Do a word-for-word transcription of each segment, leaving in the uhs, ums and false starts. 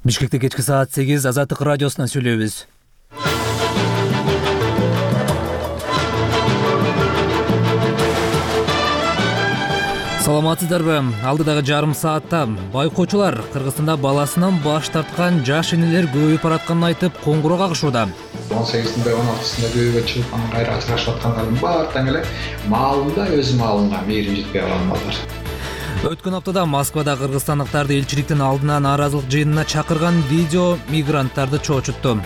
Бишкекте кечки саат сегиз Азаттык радиосунан сүйлөйбүз. Саламатсыздарбы? Алдыдагы жарым саатта байкоочулар Кыргызстанда баласынан баш тарткан жаш энелер көбөйүп баратканын айтып коңгуроо кагышууда. он сегизинде он алтысында көйгө чыгып анан кайра ажырашып аткандардын баары тең эле маалында өз маалына мээрим жетпей калган балдар. Өткөн аптада Москвада кыргызстандыктарды элчиликтин алдына нааразылык жыйынына чакырган видео мигранттарды чоочутту.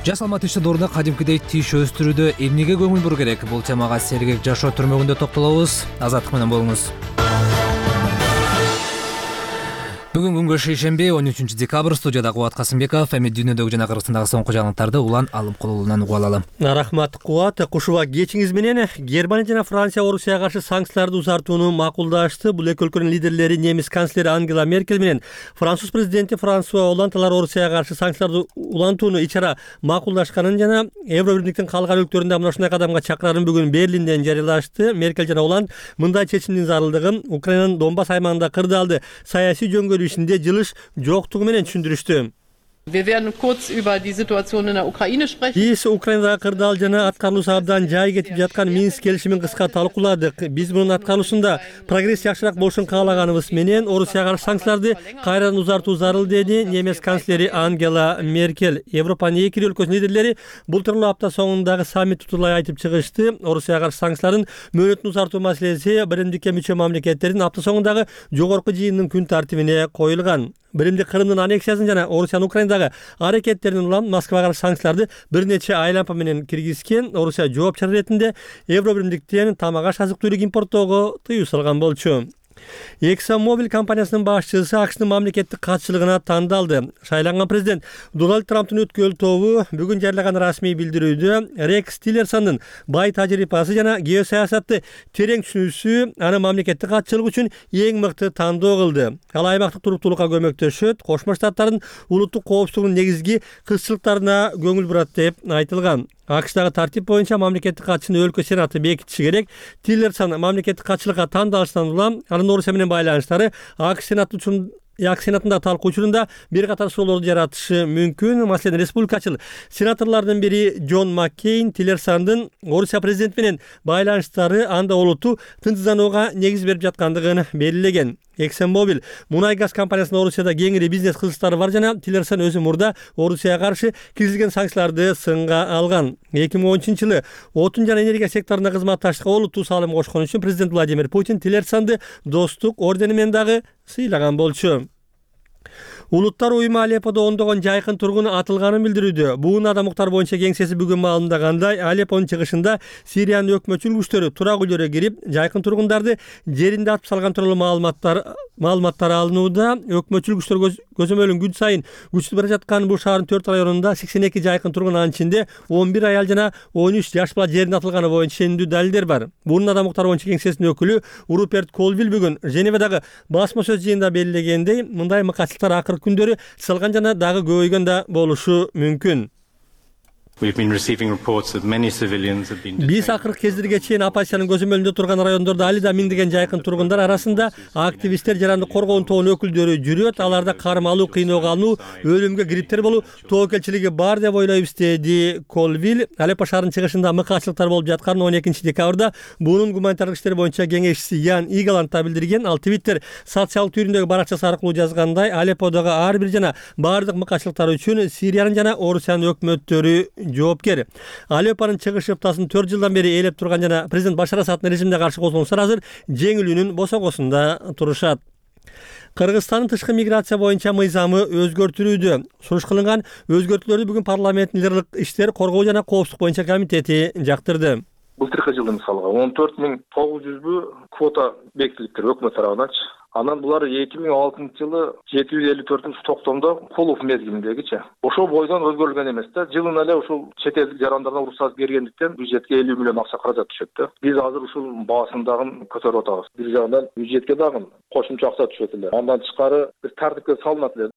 Жаш салмат ишчидорунда кадимкидей тиш өстүрүүдө эмнеге көңүл буруу керек? Бул темага Сергек жашоо түрмөгүндө токтолобуз. Азаттык менен болуңуз. Бүгүн күнгө шейшемби он үчүнчү декабрь, студияда Кубат Касымбеков, эми дүйнөдөгү жана Кыргызстандагы соңку жаңылыктарды улан Алымкулуулунан угуп алалы. Рахмат Кубат. Кушуба кечиңиз менен Германия жана Франция Орусияга каршы санкцияларды узартууну макулдашты. Бул эки өлкөнүн лидерлери немис канцлери Ангела Меркель менен Француз президенти Франсуа Олланд алар Орусияга каршы санкцияларды улантууну ичара макулдашканын жана Евробирликтин калган өлкөлөрүндө мына ушундай кадамга чакырарын бүгүн Берлинден жарыялашты. Меркель жана Олланд мындай чечимдин зарылдыгын Украинанын Донбасс аймагында кырдаалды саясий жөнгөлүү ишинде жылыш жоктугу менен түшүндүрүштү. Wir werden kurz über die Situation in der Ukraine sprechen. Биз Украинадагы кырдаал жана аткарылуусу абдан жай кетип жаткан Минск келишимин кыска талкууладык. Биз мунун аткарылуусунда прогресс жакшыраак болушун каалаганыбыз менен Орусияга каршы санкцияларды кайрадан узартуу зарыл, деди немис канцлери Ангела Меркель. Европанын эки өлкөсүнүн лидерлери былтыркы апта соңундагы саммит тутулай айтып чыгышты. Орусияга каршы санкциялардын мөөнөтүн узартуу маселеси биримдикке мүчө мамлекеттердин апта соңундагы жогорку жыйынынын күн тартибине коюлган. Биримдик Крымдын аннексиясын жана Орусиянын Украинадагы аракеттерин улам Москвага каршы санкцияларды бир нече айлампа менен киргизген. Орусия жооп чара иретинде Евробиримдиктен тамак аш азык-түлүк импорттоого тыюу салган болчу. ExxonMobil компаниясынын башчысы АКШнын мамлекеттик катчылыгына тандалды. Шайланган президент Дональд Трамптын өткөл тобу бүгүн жарыялаган расмий билдирүүдө Рекс Тиллерсондун бай тажрыйбасы жана геосаясатты терең түшүнүүсү аны мамлекеттик катчылык үчүн эң мыкты тандоо кылды. Ал аймактык туруктуулукка көмөктөшөт, Кошмо Штаттардын улуттук коопсуздугунун негизги кызчылыктарына көңүл бурат деп айтылган. АКШдагы тартип боюнча мамлекеттик катчыны өлкө сенаты бекитиши керек. Тиллерсон мамлекеттик катчылыкка тандалыштан улам анын Орусия менен байланыштары АКШ сенаты үчүн ак сенатында талкуу учурунда бир катар суроолорду жаратышы мүмкүн. Маселен, республикачыл сенаторлордун бири Джон Маккейн Тиллерсондун Орусия президенти менен байланыштары анда олуттуу тынчсызданууга негиз берип жаткандыгын белгилеген. ExxonMobil мунай газ компаниясынын Орусияда кеңири бизнес кызыктары бар жана Тиллерсон өзү мурда Орусияга каршы киргизген санкцияларды сынга алган. эки миң он үчүнчү жылы отун жана энергия секторуна кызматташтыкка олуттуу салым кошкон үчүн президент Владимир Путин Тиллерсонду достук ордени менен дагы сыйлаган болчу. Улуттар уюму Алепподо ондогон жайкын тургун атылганын билдирүүдө. Буун адам укуктары боюнча кеңсеси бүгүн маалымдагандай, Алеппонун чыгышында Сириянын өкмөтчүлүк күчтөрү турак үйлөргө кирип, жайкын тургундарды жеринде атып салган тууралуу маалыматтар маалыматтар алынууда. Өкмөтчүлүк күчтөр көзөмөлүн күн сайын күчтүү бара жаткан бул шаардын төрт районунда сексен эки жайкын тургун, анын ичинде он бир аял жана он үч жаш бала жерине атылганы боюнча ишендүү далилдер бар. Буун адам укуктары боюнча кеңсесинин өкүлү Руперт Колвилл бүгүн Женевадагы басма сөз жыйынында белгилегендей, мындай мыкаачылыктар акыркы күндөрү салган жана дагы көбөйгөн да болушу мүмкүн. Биз акыркы кездерге чейин оппозициянын көзөмөлүндө турган райондордо али да миңдеген жайкын тургундар арасында активисттер, жарандык коргоонун тобунун өкүлдөрү жүрөт. Аларда карым алуу, кыйноого алынуу, өлүмгө кириптер болуу тобокелчилиги бар деп ойлойбуз, деди Колвилл. Алеппо шаарынын чыгышында мыкаачылыктар болуп жатканын он экинчи декабрда буунун гуманитардык иштер боюнча кеңешчиси Ян Игаланд да билдирген. Ал Твиттер социалдык түйүндөгү баракчасы аркылуу жазгандай, Алепподогу ар бир жана баардык мыкаачылыктар үчүн Сириянын жана Орусиянын өкмөттөрү жоопкер. Алеппонун чыгыш ыптасын төрт жылдан бери ээлеп турган жана президент Башар Асаддын режимине каршы козголуңуздар азыр жеңилүүнүн босогосунда турушат. Кыргызстандын тышкы миграция боюнча мыйзамы өзгөртүлүүдө. Сунуш кылынган өзгөртүүлөрдү бүгүн парламенттин лидерлик иштер, коргоо жана коопсуздук боюнча комитети жактырды. Былтыркы жылы мисалга он төрт миң тогуз жүзбү квота бекитилиптир өкмөт тарабынан. Анан булар эки миң алтынчы жылы жети жүз элүү төртүнчү токтомдо кулуп мезгилиндегичи. Ошол бойдон өзгөрүлгөн эмес да. Жылына эле ушул чет элдик жарандардан уруксат бергендиктен бюджетке элүү миллион акча каражат түшөт да. Биз азыр ушул баасын дагы көтөрүп атабыз. Бир жагынан бюджетке дагы кошумча акча түшөт эле. Андан тышкары бир тартипке салынат эле.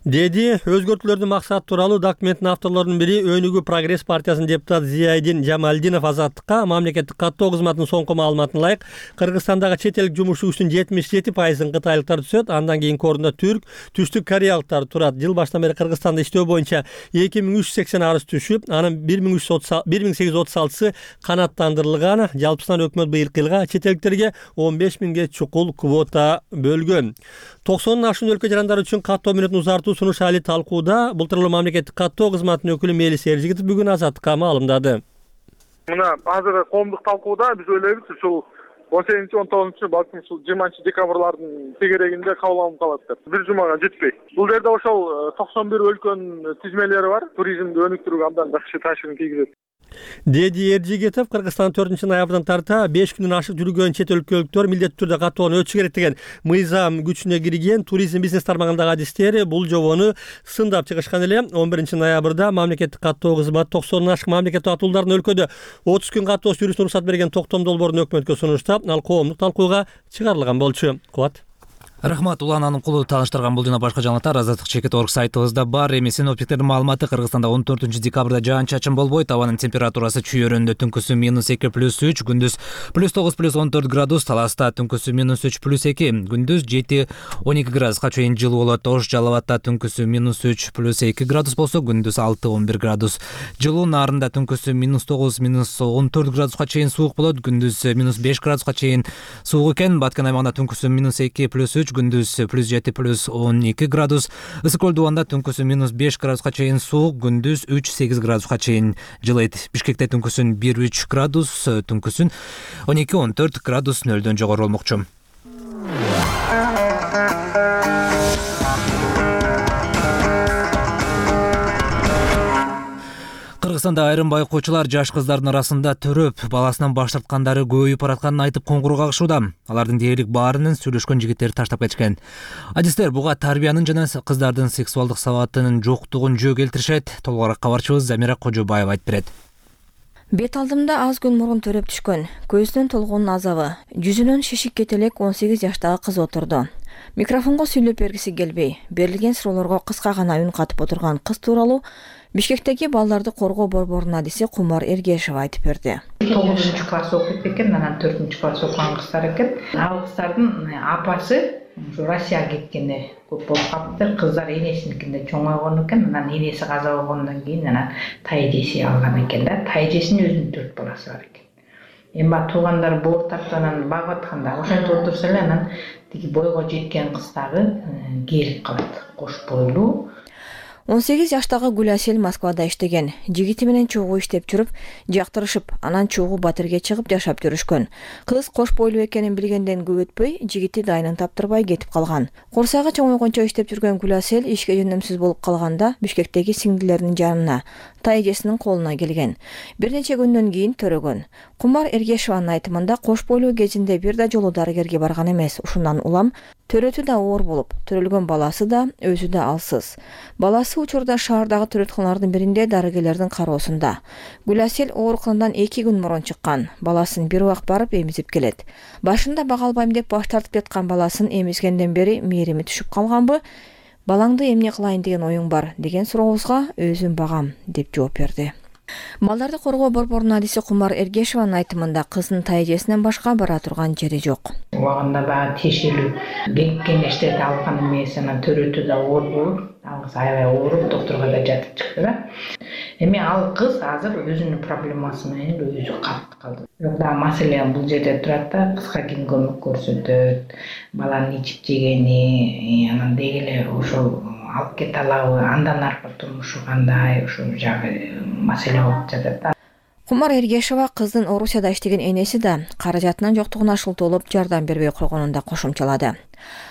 деди. Өзгөртүүлөрдүн максаты тууралуу документтин авторлорунун бири Өнүгүү Прогресс партиясынын депутаты Зияйдин Жамалдинов Азаттыкка мамлекеттик каттоо кызматынын соңку маалыматына ылайык Кыргызстандагы чет элдик жумушчу күчтүн жетимиш жети пайызын кытайлыктар түзөт. Андан кийинки орунда түрк, түштүк кореялыктар турат. Жыл башынан бери Кыргызстанда иштөө боюнча эки миң үч жүз сексен арыз түшүп, анын бир миң сегиз жүз отуз алтысы канааттандырылган. Жалпысынан өкмөт быйылкы жылга чет элдиктерге он беш миңге чукул квота бөлгөн. токсондон ашуун өлкө жарандар үчүн каттоо мөөнөтүн узартуу сунуш али талкууда. Бул тууралуу мамлекеттик каттоо кызматынын өкүлү Мелис Эржигитов бүгүн Азаттыкка маалымдады. Мына азыр коомдук талкууда биз ойлойбуз ушул он сегизинчи он тогузунчу балким ушул жыйырманчы декабрлардын тегерегинде кабыл алынып калат деп. Бир жумага жетпей. Бул жерде ошол токсон бир өлкөнүн тизмелери бар. Туризмди өнүктүрүүгө абдан жакшы таасирин тийгизет, деди Эржигитов. Кыргызстан төртүнчү ноябрдан тарта беш күндөн ашык жүргөн чет өлкөлүктөр милдеттүү түрдө каттоonu өтүшү керек деген мыйзам күчүнө кирген. Туризм бизнес тармагындагы адистери бул жобону сындап чыгышкан эле. он биринчи ноябрда мамлекеттик каттоо кызматы токсондон ашык мамлекеттик атуулдардын өлкөдө отуз күн каттоосу жүрүүсүнө уруксат берген токтом долбоорун өкмөткө сунуштап, ал коомдук талкууга чыгарылган болчу. Кубат. Рахмат, Улан Аныкулу тааныштырган. Бул жана башка жаңылыктар Азаттык чекит точка орг сайтыбызда бар. Эми синоптиктердин маалыматы: Кыргызстанда он төртүнчү декабрда жаан-чачын болбойт. Абанын температурасы чүйөрүндө түнкүсү минус эки плюс үч, күндүз плюс тогуз плюс он төрт градус, Таласта түнкүсү минус үч плюс эки, күндүз жети он эки градуска чейин жылуу болот. Ош Жалал абадта түнкүсү минус үч плюс эки градус болсо, күндүз алты он бир градус жылуу. Нарында түнкүсү минус тогуз минус он төрт градуска чейин суук болот, күндүз минус беш градуска чейин суук экен. Баткен аймагында түнкүсү минус эки плюс үч, күндүз плюс жети плюс он эки градус. Ысык көл дубанда түнкүсү минус беш градуска чейин суук, күндүз үч сегиз градуска чейин жылыйт. Бишкекте түнкүсүн бир үч градус, түнкүсүн он эки он төрт градус нөлдөн жогору болмокчу. Кыргызстанда айрым байкоочулар жаш кыздардын арасында төрөп, баласынан баш тарткандары көбөйүп баратканын айтып коңгуроо кагышууда. Алардын дээрлик баарынын сүйлөшкөн жигиттерди таштап кетишкен. Адистер буга тарбиянын жана кыздардын сексуалдык сабатынын жоктугун жөө келтиришет. Толугураак кабарчыбыз Замира Кожобаева айтып берет. Бет алдымда аз күн мурун төрөп түшкөн. Көзүнөн толгоонун азабы, жүзүнөн шишик кетелек он сегиз жаштагы кыз отурду. Микрофонго сүйлөп бергиси келбей, берилген суроолорго кыска гана үн катып отурган кыз тууралуу Бишкектеги балдарды коргоо борборунун адиси Кумар Эргешева айтып берди. тогузунчу класс окуйт экен, анан төртүнчү класс окуган кыздар экен. Ал кыздардын апасы ушу Россияга кеткени көп болуп калыптыр. Кыздар энесиникинде чоңойгон экен, анан энеси каза болгондон кийин анан тайэжеси алган экен да. Тайэжесинин өзүнүн төрт баласы бар экен. Эми туугандар боор тартып анан багып атканда ошентип отурса эле анан тиги бойго жеткен кыз дагы келип калат. Кош бойлуу он сегиз жаштагы Гүласел Москвада иштеген. Жигити менен чогуу иштеп жүрүп, жактырышып, анан чогуу Батырге чыгып жашап жүрүшкөн. Кыз кош бойлуу экенин билгенден көп өтпөй, жигити дайынын таптырбай кетип калган. Курсагы чоңойгончо иштеп жүргөн Гүласел ишке жөнөмсүз болуп калганда Бишкектеги сиңдилеринин жанына, тайэжесинин колуна келген. Бир нече күндөн кийин төрөгөн. Кумар Эргешеванын айтымында кош бойлуу кезинде бир да жолу дарыгерге барган эмес. Ушундан улам төрөтү да оор болуп, төрөлгөн баласы да, өзү да алсыз. Баласы учурда шаардагы төрөтканалардын биринде дарыгерлердин кароосунда. Гүласел ооруканадан эки күн мурун чыккан. Баласын бир убак барып эмизип келет. Башында бага албайм деп баш тартып жаткан баласын эмизгенден бери мээрими түшүп калганбы? Балаңды эмне кылайын деген оюң бар деген сурообузга өзүм багам деп жооп берди. Балдарды коргоо борборунун адиси Кумар Эргешеванын айтымында кыздын тайэжесинен башка бара турган жери жок. Убагында баягы тиешелүү кеңештерди алган эмес, анан төрөтү да оор болуп, ал кыз аябай ооруп доктурга да жатып чыкты да. Эми ал кыз азыр өзүнүн проблемасы менен өзү калып калды. Бирок да маселе бул жерде турат да, кызга ким көмөк көрсөтөт, баланын ичип жегени, анан деги эле ошол алып кете алабы, андан аркы турмушу кандай, ошол жагы маселе болуп жатат. Кумар Эргешева кыздын Орусияда иштеген энеси да каражатынын жоктугуна шылтоолоп жардам бербей койгонун да кошумчалады.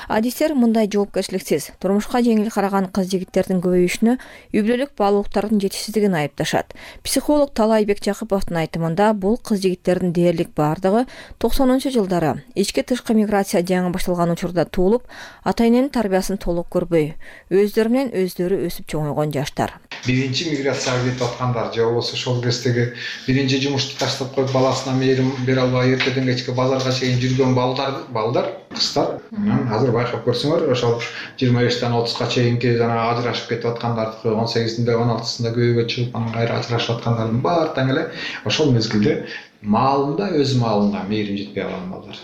Адистер мындай жоопкерчиликсиз, турмушка жеңил караган кыз-жигиттердин көбөйүшүнө үй бүлөлүк баалуулуктардын жетишсиздигин айыпташат. Психолог Талайбек Жакыповдун айтымында бул кыз-жигиттердин дээрлик бардыгы токсонунчу жылдары ички тышкы миграция жаңы башталган учурда туулуп, ата-эненин тарбиясын толук көрбөй, өздөрү менен өздөрү өсүп чоңойгон жаштар. биринчи миграцияга кетип аткандар же болбосо ошол кездеги биринчи жумушту таштап коюп баласына мээрим бере албай эртеден кечке базарга чейин жүргөн балдар балдар кыздар анан азыр байкап көрсөңөр ошол жыйырма бештен отузга чейинки жана ажырашып кетип аткандардыкы он сегизинде он алтысында күйөөгө чыгып анан кайра ажырашып аткандардын баары тең эле ошол мезгилде маалында өз маалына мээрим жетпей калган балдар.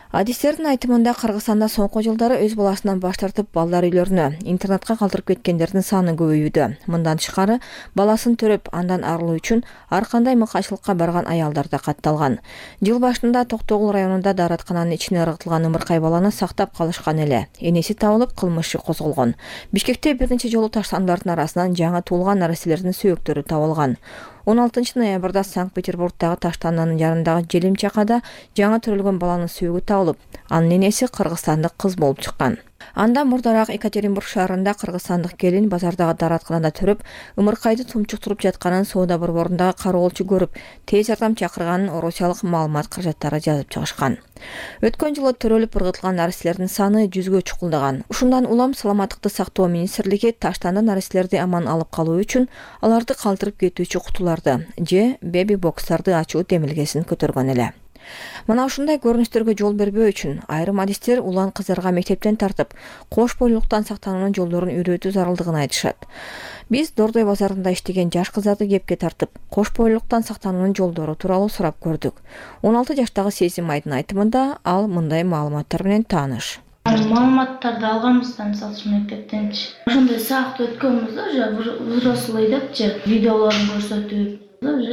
Адистердин айтымында Кыргызстанда соңку жылдары өз баласынан баш тартып балдар үйлөрүнө, интернатка калтырып кеткендердин саны көбөйүүдө. Мындан тышкары, баласын төрөп андан арылуу үчүн ар кандай мыкайчылыкка барган аялдар да катталган. Жыл башында Токтогул районунда даараткананын ичине ыргытылган ымыркай баланы сактап калышкан эле. Энеси табылып, кылмыш иши козголгон. Бишкекте бир нече жолу таштандардын арасынан жаңы туулган нареселердин сөөктөрү табылган. он алтынчы ноябрда Санкт-Петербургдагы таштанданын жарандагы желим чакада жаңы төрөлгөн баланын сөөгү табылып, анын энеси кыргызстандык кыз болуп чыккан. Андан мурдараак Екатеринбург шаарында кыргызстандык келин базардагы дааратканада төрөп, ымыркайды тумчуктуруп жатканын соода борборундагы кароолчу көрүп, тез жардам чакырганын орусиялык маалымат каражаттары жазып чыгышкан. Өткөн жылы төрөлүп ыргытылган нареселердин саны жүзгө чукулдаган. Ушундан улам саламаттыкты сактоо министрлиги таштандан нареселерди аман алып калуу үчүн аларды калтырып кетүүчү кутуларды же беби бокстарды ачуу демилгесин көтөргөн эле. Мына ушундай көрүнүштөргө жол бербөө үчүн айрым адистер улан кыздарга мектептен тартып, кош бойлуулуктан сактануунун жолдорун үйрөтүү зарылдыгын айтышат. Биз Дордой базарында иштеген жаш кыздарды кепке тартып, кош бойлуулуктан сактануунун жолдору тууралуу сурап көрдүк. он алты жаштагы Сезим Айдын айтымында ал мындай маалыматтар менен тааныш. Маалыматтарды алганбыздан мисалы үчүн мектептенчи. Ошондой саакты өткөнбүз да, уже взрослый депчи, видеолорун көрсөтүп.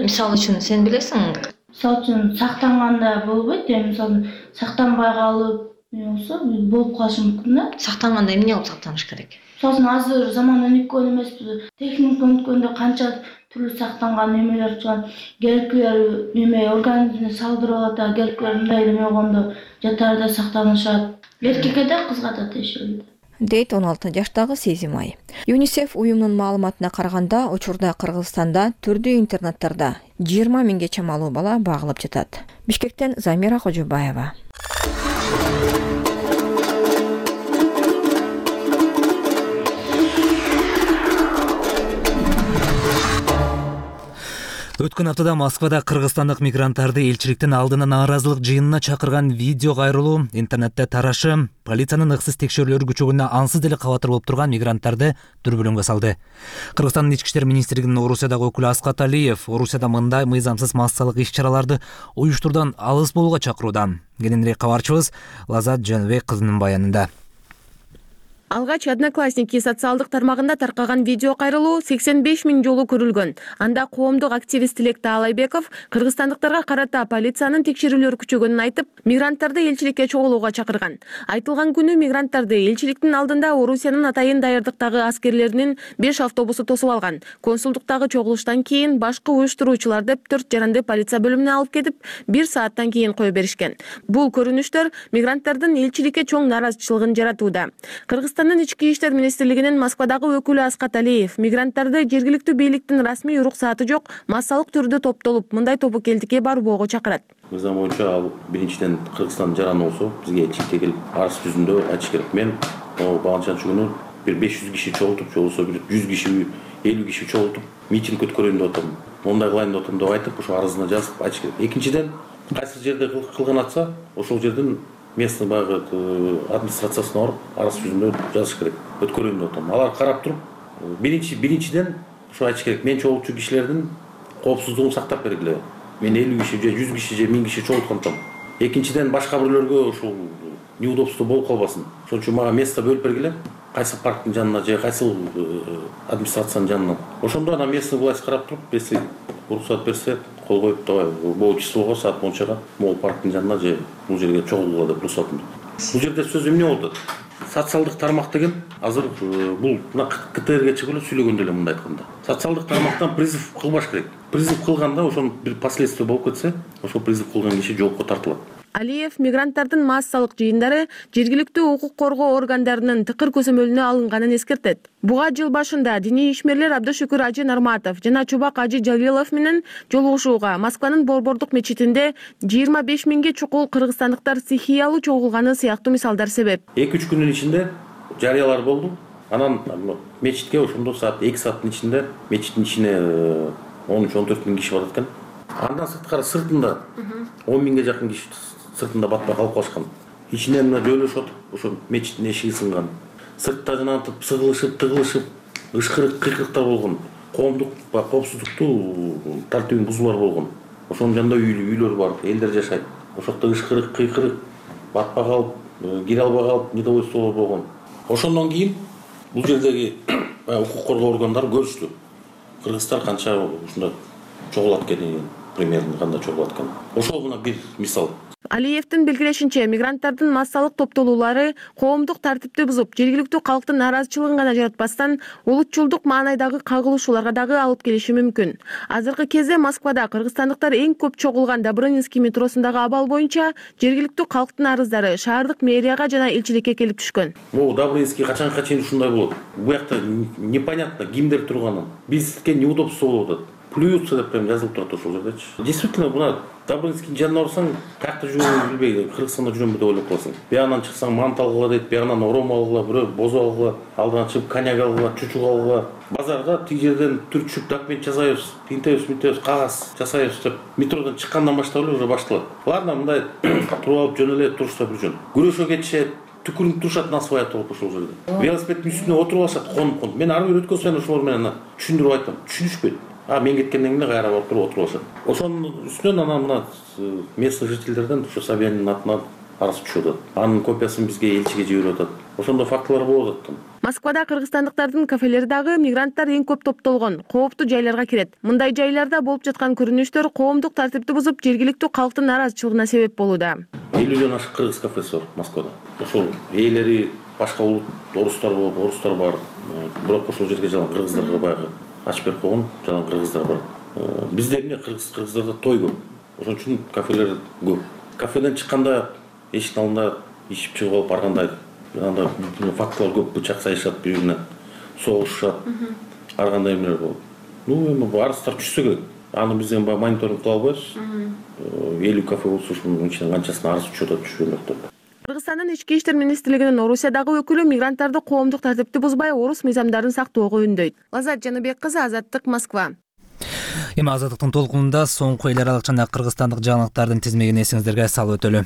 Мисалы үчүн сен билесиң? Мисалы үчүн сактанганда болбойт, эми мисалы сактанбай калып, болсо болуп калышы мүмкүн да. Сактанганда эмне кылып сактаныш керек? Мисалы азыр заман өнүккөн эмеспиз. Техника өнүккөндө канча түрлүү сактанган немелер чыгат. Келкилер неме организмди салдырып алат, келкилер мындай неме болгондо жатарда сактанышат. Эркекке да кызга да тиешелүү дейт он алты жаштагы Сезим Ай. ЮНИСЕФ уюмунун маалыматына караганда, учурда Кыргызстанда түрдүү интернаттарда жыйырма миңге чамалуу бала багылып жатат. Бишкектен Замира Кожобаева. Өткөн аптада Москвада кыргызстандык мигранттарды элчиликтин алдына нааразылык жыйынына чакырган видео кайрылуу интернетте тарашы, полициянын ыксыз текшерүүлөрү күчөгөнүнө ансыз деле кабатыр болуп турган мигранттарды дүрбөлөңгө салды. Кыргызстандын ички иштер министрлигинин Орусиядагы өкүлү Аскат Алиев Орусияда мындай мыйзамсыз массалык иш-чараларды уюштуруудан алыс болууга чакырууда. Кененирээк кабарчыбыз Лазат Жаныбек кызынын баянында. Алгач Одноклассники социалдык тармагында таркаган видео кайрылуу сексен беш миң жолу көрүлгөн. Анда коомдук активист Тилек Таалайбеков кыргызстандыктарга карата полициянын текшерүүлөрү күчөгөнүн айтып, мигранттарды элчиликке чогулууга чакырган. Айтылган күнү мигранттарды элчиликтин алдында Орусиянын атайын даярдыктагы аскерлеринин беш автобусу тосуп алган. Консулдуктагы чогулуштан кийин башкы уюштуруучулар деп төрт жаранды полиция бөлүмүнө алып кетип, бир сааттан кийин кое беришкен. Бул көрүнүштөр мигранттардын элчиликке чоң нааразычылыгын жаратууда. Кыргызстандын ички иштер министрлигинин Москвадагы өкүлү Аскат Алиев мигранттарды жергиликтүү бийликтин расмий уруксааты жок массалык түрдө топтолуп, мындай тобокелдикке барбоого чакырат. Мыйзам боюнча ал биринчиден Кыргызстан жараны болсо, бизге элчиликке келип арыз жүзүндө айтыш керек. Мен багынчанчы күнү бир беш жүз киши чогултуп, же болбосо бир жүз киши, элүү киши чогултуп, митинг өткөрөйүн деп атам. Мондай кылайын деп атам деп айтып, ошо арызына жазып айтыш керек. Экинчиден, кайсы жерде кылган атса, ошол жерден местный багы администрациясына барып, арыз жүзүндө жазыш керек. Өткөрөйүн деп атам. Алар карап туруп, биринчи биринчиден ошо айтыш керек. Мен чогултчу кишилердин коопсуздугун сактап бергиле. Мен элүү киши же жүз киши же миң киши чогулткантам. Экинчиден башка бирлөргө ушул неудобство болуп калбасын. Ошон үчүн мага место бөлүп бергиле. Кайсы парктын жанына же кайсы администрациянын жанына. Ошондо ана местный власть карап туруп, если уруксат берсе, кол коюп, давай бул числого саат мончага могул парктын жанына же бул жерге чогулгула деп уруксатын. Бул жерде сөз эмне болду? Социалдык тармак деген азыр бул мына КТРге чыгып эле сүйлөгөндө эле мындай айтканда. Социалдык тармактан призыв кылбаш керек. Призыв кылганда ошонун бир последствия болуп кетсе, ошол призыв кылган киши жоопко тартылат. Алиев мигранттардын массалык жыйындары жергиликтүү укук коргоо органдарынын тыкыр көзөмөлүнө алынганын эскертет. Буга жыл башында диний ишмерлер Абдышүкүр Ажы Нарматов жана Чубак Ажы Жалилов менен жолугушууга Москванын Борбордук мечитинде жыйырма беш миңге чукул кыргызстандыктар стихиялуу чогулганы сыяктуу мисалдар себеп. эки үч күнүн ичинде жарыялар болду. Анан мечитке ошондо саат эки сааттын ичинде мечиттин ичине он үч он төрт миң киши барат экен. Андан сырткары сыртында он миңге жакын киши сыртында батпай калып калышкан. Ичинен жөйлөшүп ошо мечиттин эшиги сынган. Сыртта жанагынтип сыгылышып, тыгылышып, ышкырык, кыйкырыктар болгон. Коомдук коопсуздукту тартибин бузуулар болгон. Ошонун жанында үйлөр бар, элдер жашайт. Ошокто ышкырык, кыйкырык, батпай калып, кире албай калып, недовольстволор болгон. Ошондон кийин бул жердеги укук коргоо органдары көрүштү. Кыргыздар канча ушундай чогулат экенин, примерно кандай чогулат экенин. Ошол мына бир мисал. Алиевдин белгилешинче, мигранттардын массалык топтолуулары коомдук тартипти бузуп, жергиликтүү калктын нааразычылыгын гана жаратпастан, улутчулдук маанайдагы кагылышууларга дагы алып келиши мүмкүн. Азыркы кезде Москвада кыргызстандыктар эң көп чогулган Добрынинский метросундагы абал боюнча жергиликтүү калктын арыздары шаардык мэрияга жана элчиликке келип түшкөн. Могу Добрынинский качанга чейин ушундай болот. Бу жакта непонятно кимдер турганын. Бизге неудобство болуп атат. Плюются деп прям жазылып турат ошол жердечи. Действительно, мына Добрынинскийдин жанына барсаң, каякта жүргөнүн билбей, Кыргызстанда жүрөм деп ойлоп каласың. Биягынан чыксаң, мант алгыла дейт, биягынан ором алгыла, бирөө бозо алгыла, алдынан чыгып коньяк алгыла, чучук алгыла. Базарга тиги жерден түркчүп документ жасайбыз, тинтебиз, мынтебиз, кагаз жасайбыз деп метродон чыккандан баштап эле уже башталат. Ладно, мындай туруп алып жөн эле турушса бир жөн. Күрөшө кетишет, түкүрүнүп турушат на своя толуп ошол жерде. Велосипеддин үстүнө отуруп алышат, конуп-конуп. Мен ар бир өткөн ошолор менен түшүндүрүп айттым. Түшүнүшпөйт. А мен кеткенден кийин кайра барып туруп отуруп алышат. Ошонун үстүнөн анан мына местный жительдерден ушу Собяниндин атынан арыз түшүп атат. Анын копиясын бизге элчиге жиберип атат. Ошондой фактылар болуп атат. Москвада кыргызстандыктардын кафелери дагы мигранттар эң көп топтолгон, кооптуу жайларга кирет. Мындай жайларда болуп жаткан көрүнүштөр коомдук тартипти бузуп, жергиликтүү калктын нааразычылыгына себеп болууда. элүүдөн ашык кыргыз кафеси бар Москвада. Ошол ээлери башка улут, орустар болуп, орустар бар. Бирок ошол жерге жалаң кыргыздарга баягы ачып берип койгон, жалаң кыргыздар бар. Бизде эмне кыргыз кыргыздарда той көп. Ошон үчүн кафелер көп. Кафеден чыкканда эшиктин алдында ичип чыгып алып баргандай анда фактылар көп, бычак сайышат, бири-бирине согушушат. Ар кандай эмелер болот. Ну, эми арыздар түшсө керек. Аны биз эми мониторинг кыла албайбыз. элүү кафе болсо ушунун ичинен канчасына арыз түшүп атат, түшпөйт деп. Кыргызстандын ички иштер министрлигинин Орусиядагы өкүлү мигранттарды коомдук тартипти бузбай, орус мыйзамдарын сактоого үндөйт. Лазат Жаныбек кызы, Азаттык, Москва. Эми Азаттыктын толкунунда соңку эл аралык жана кыргызстандык жаңылыктардын тизмегин эсиңиздерге салып өтөлү.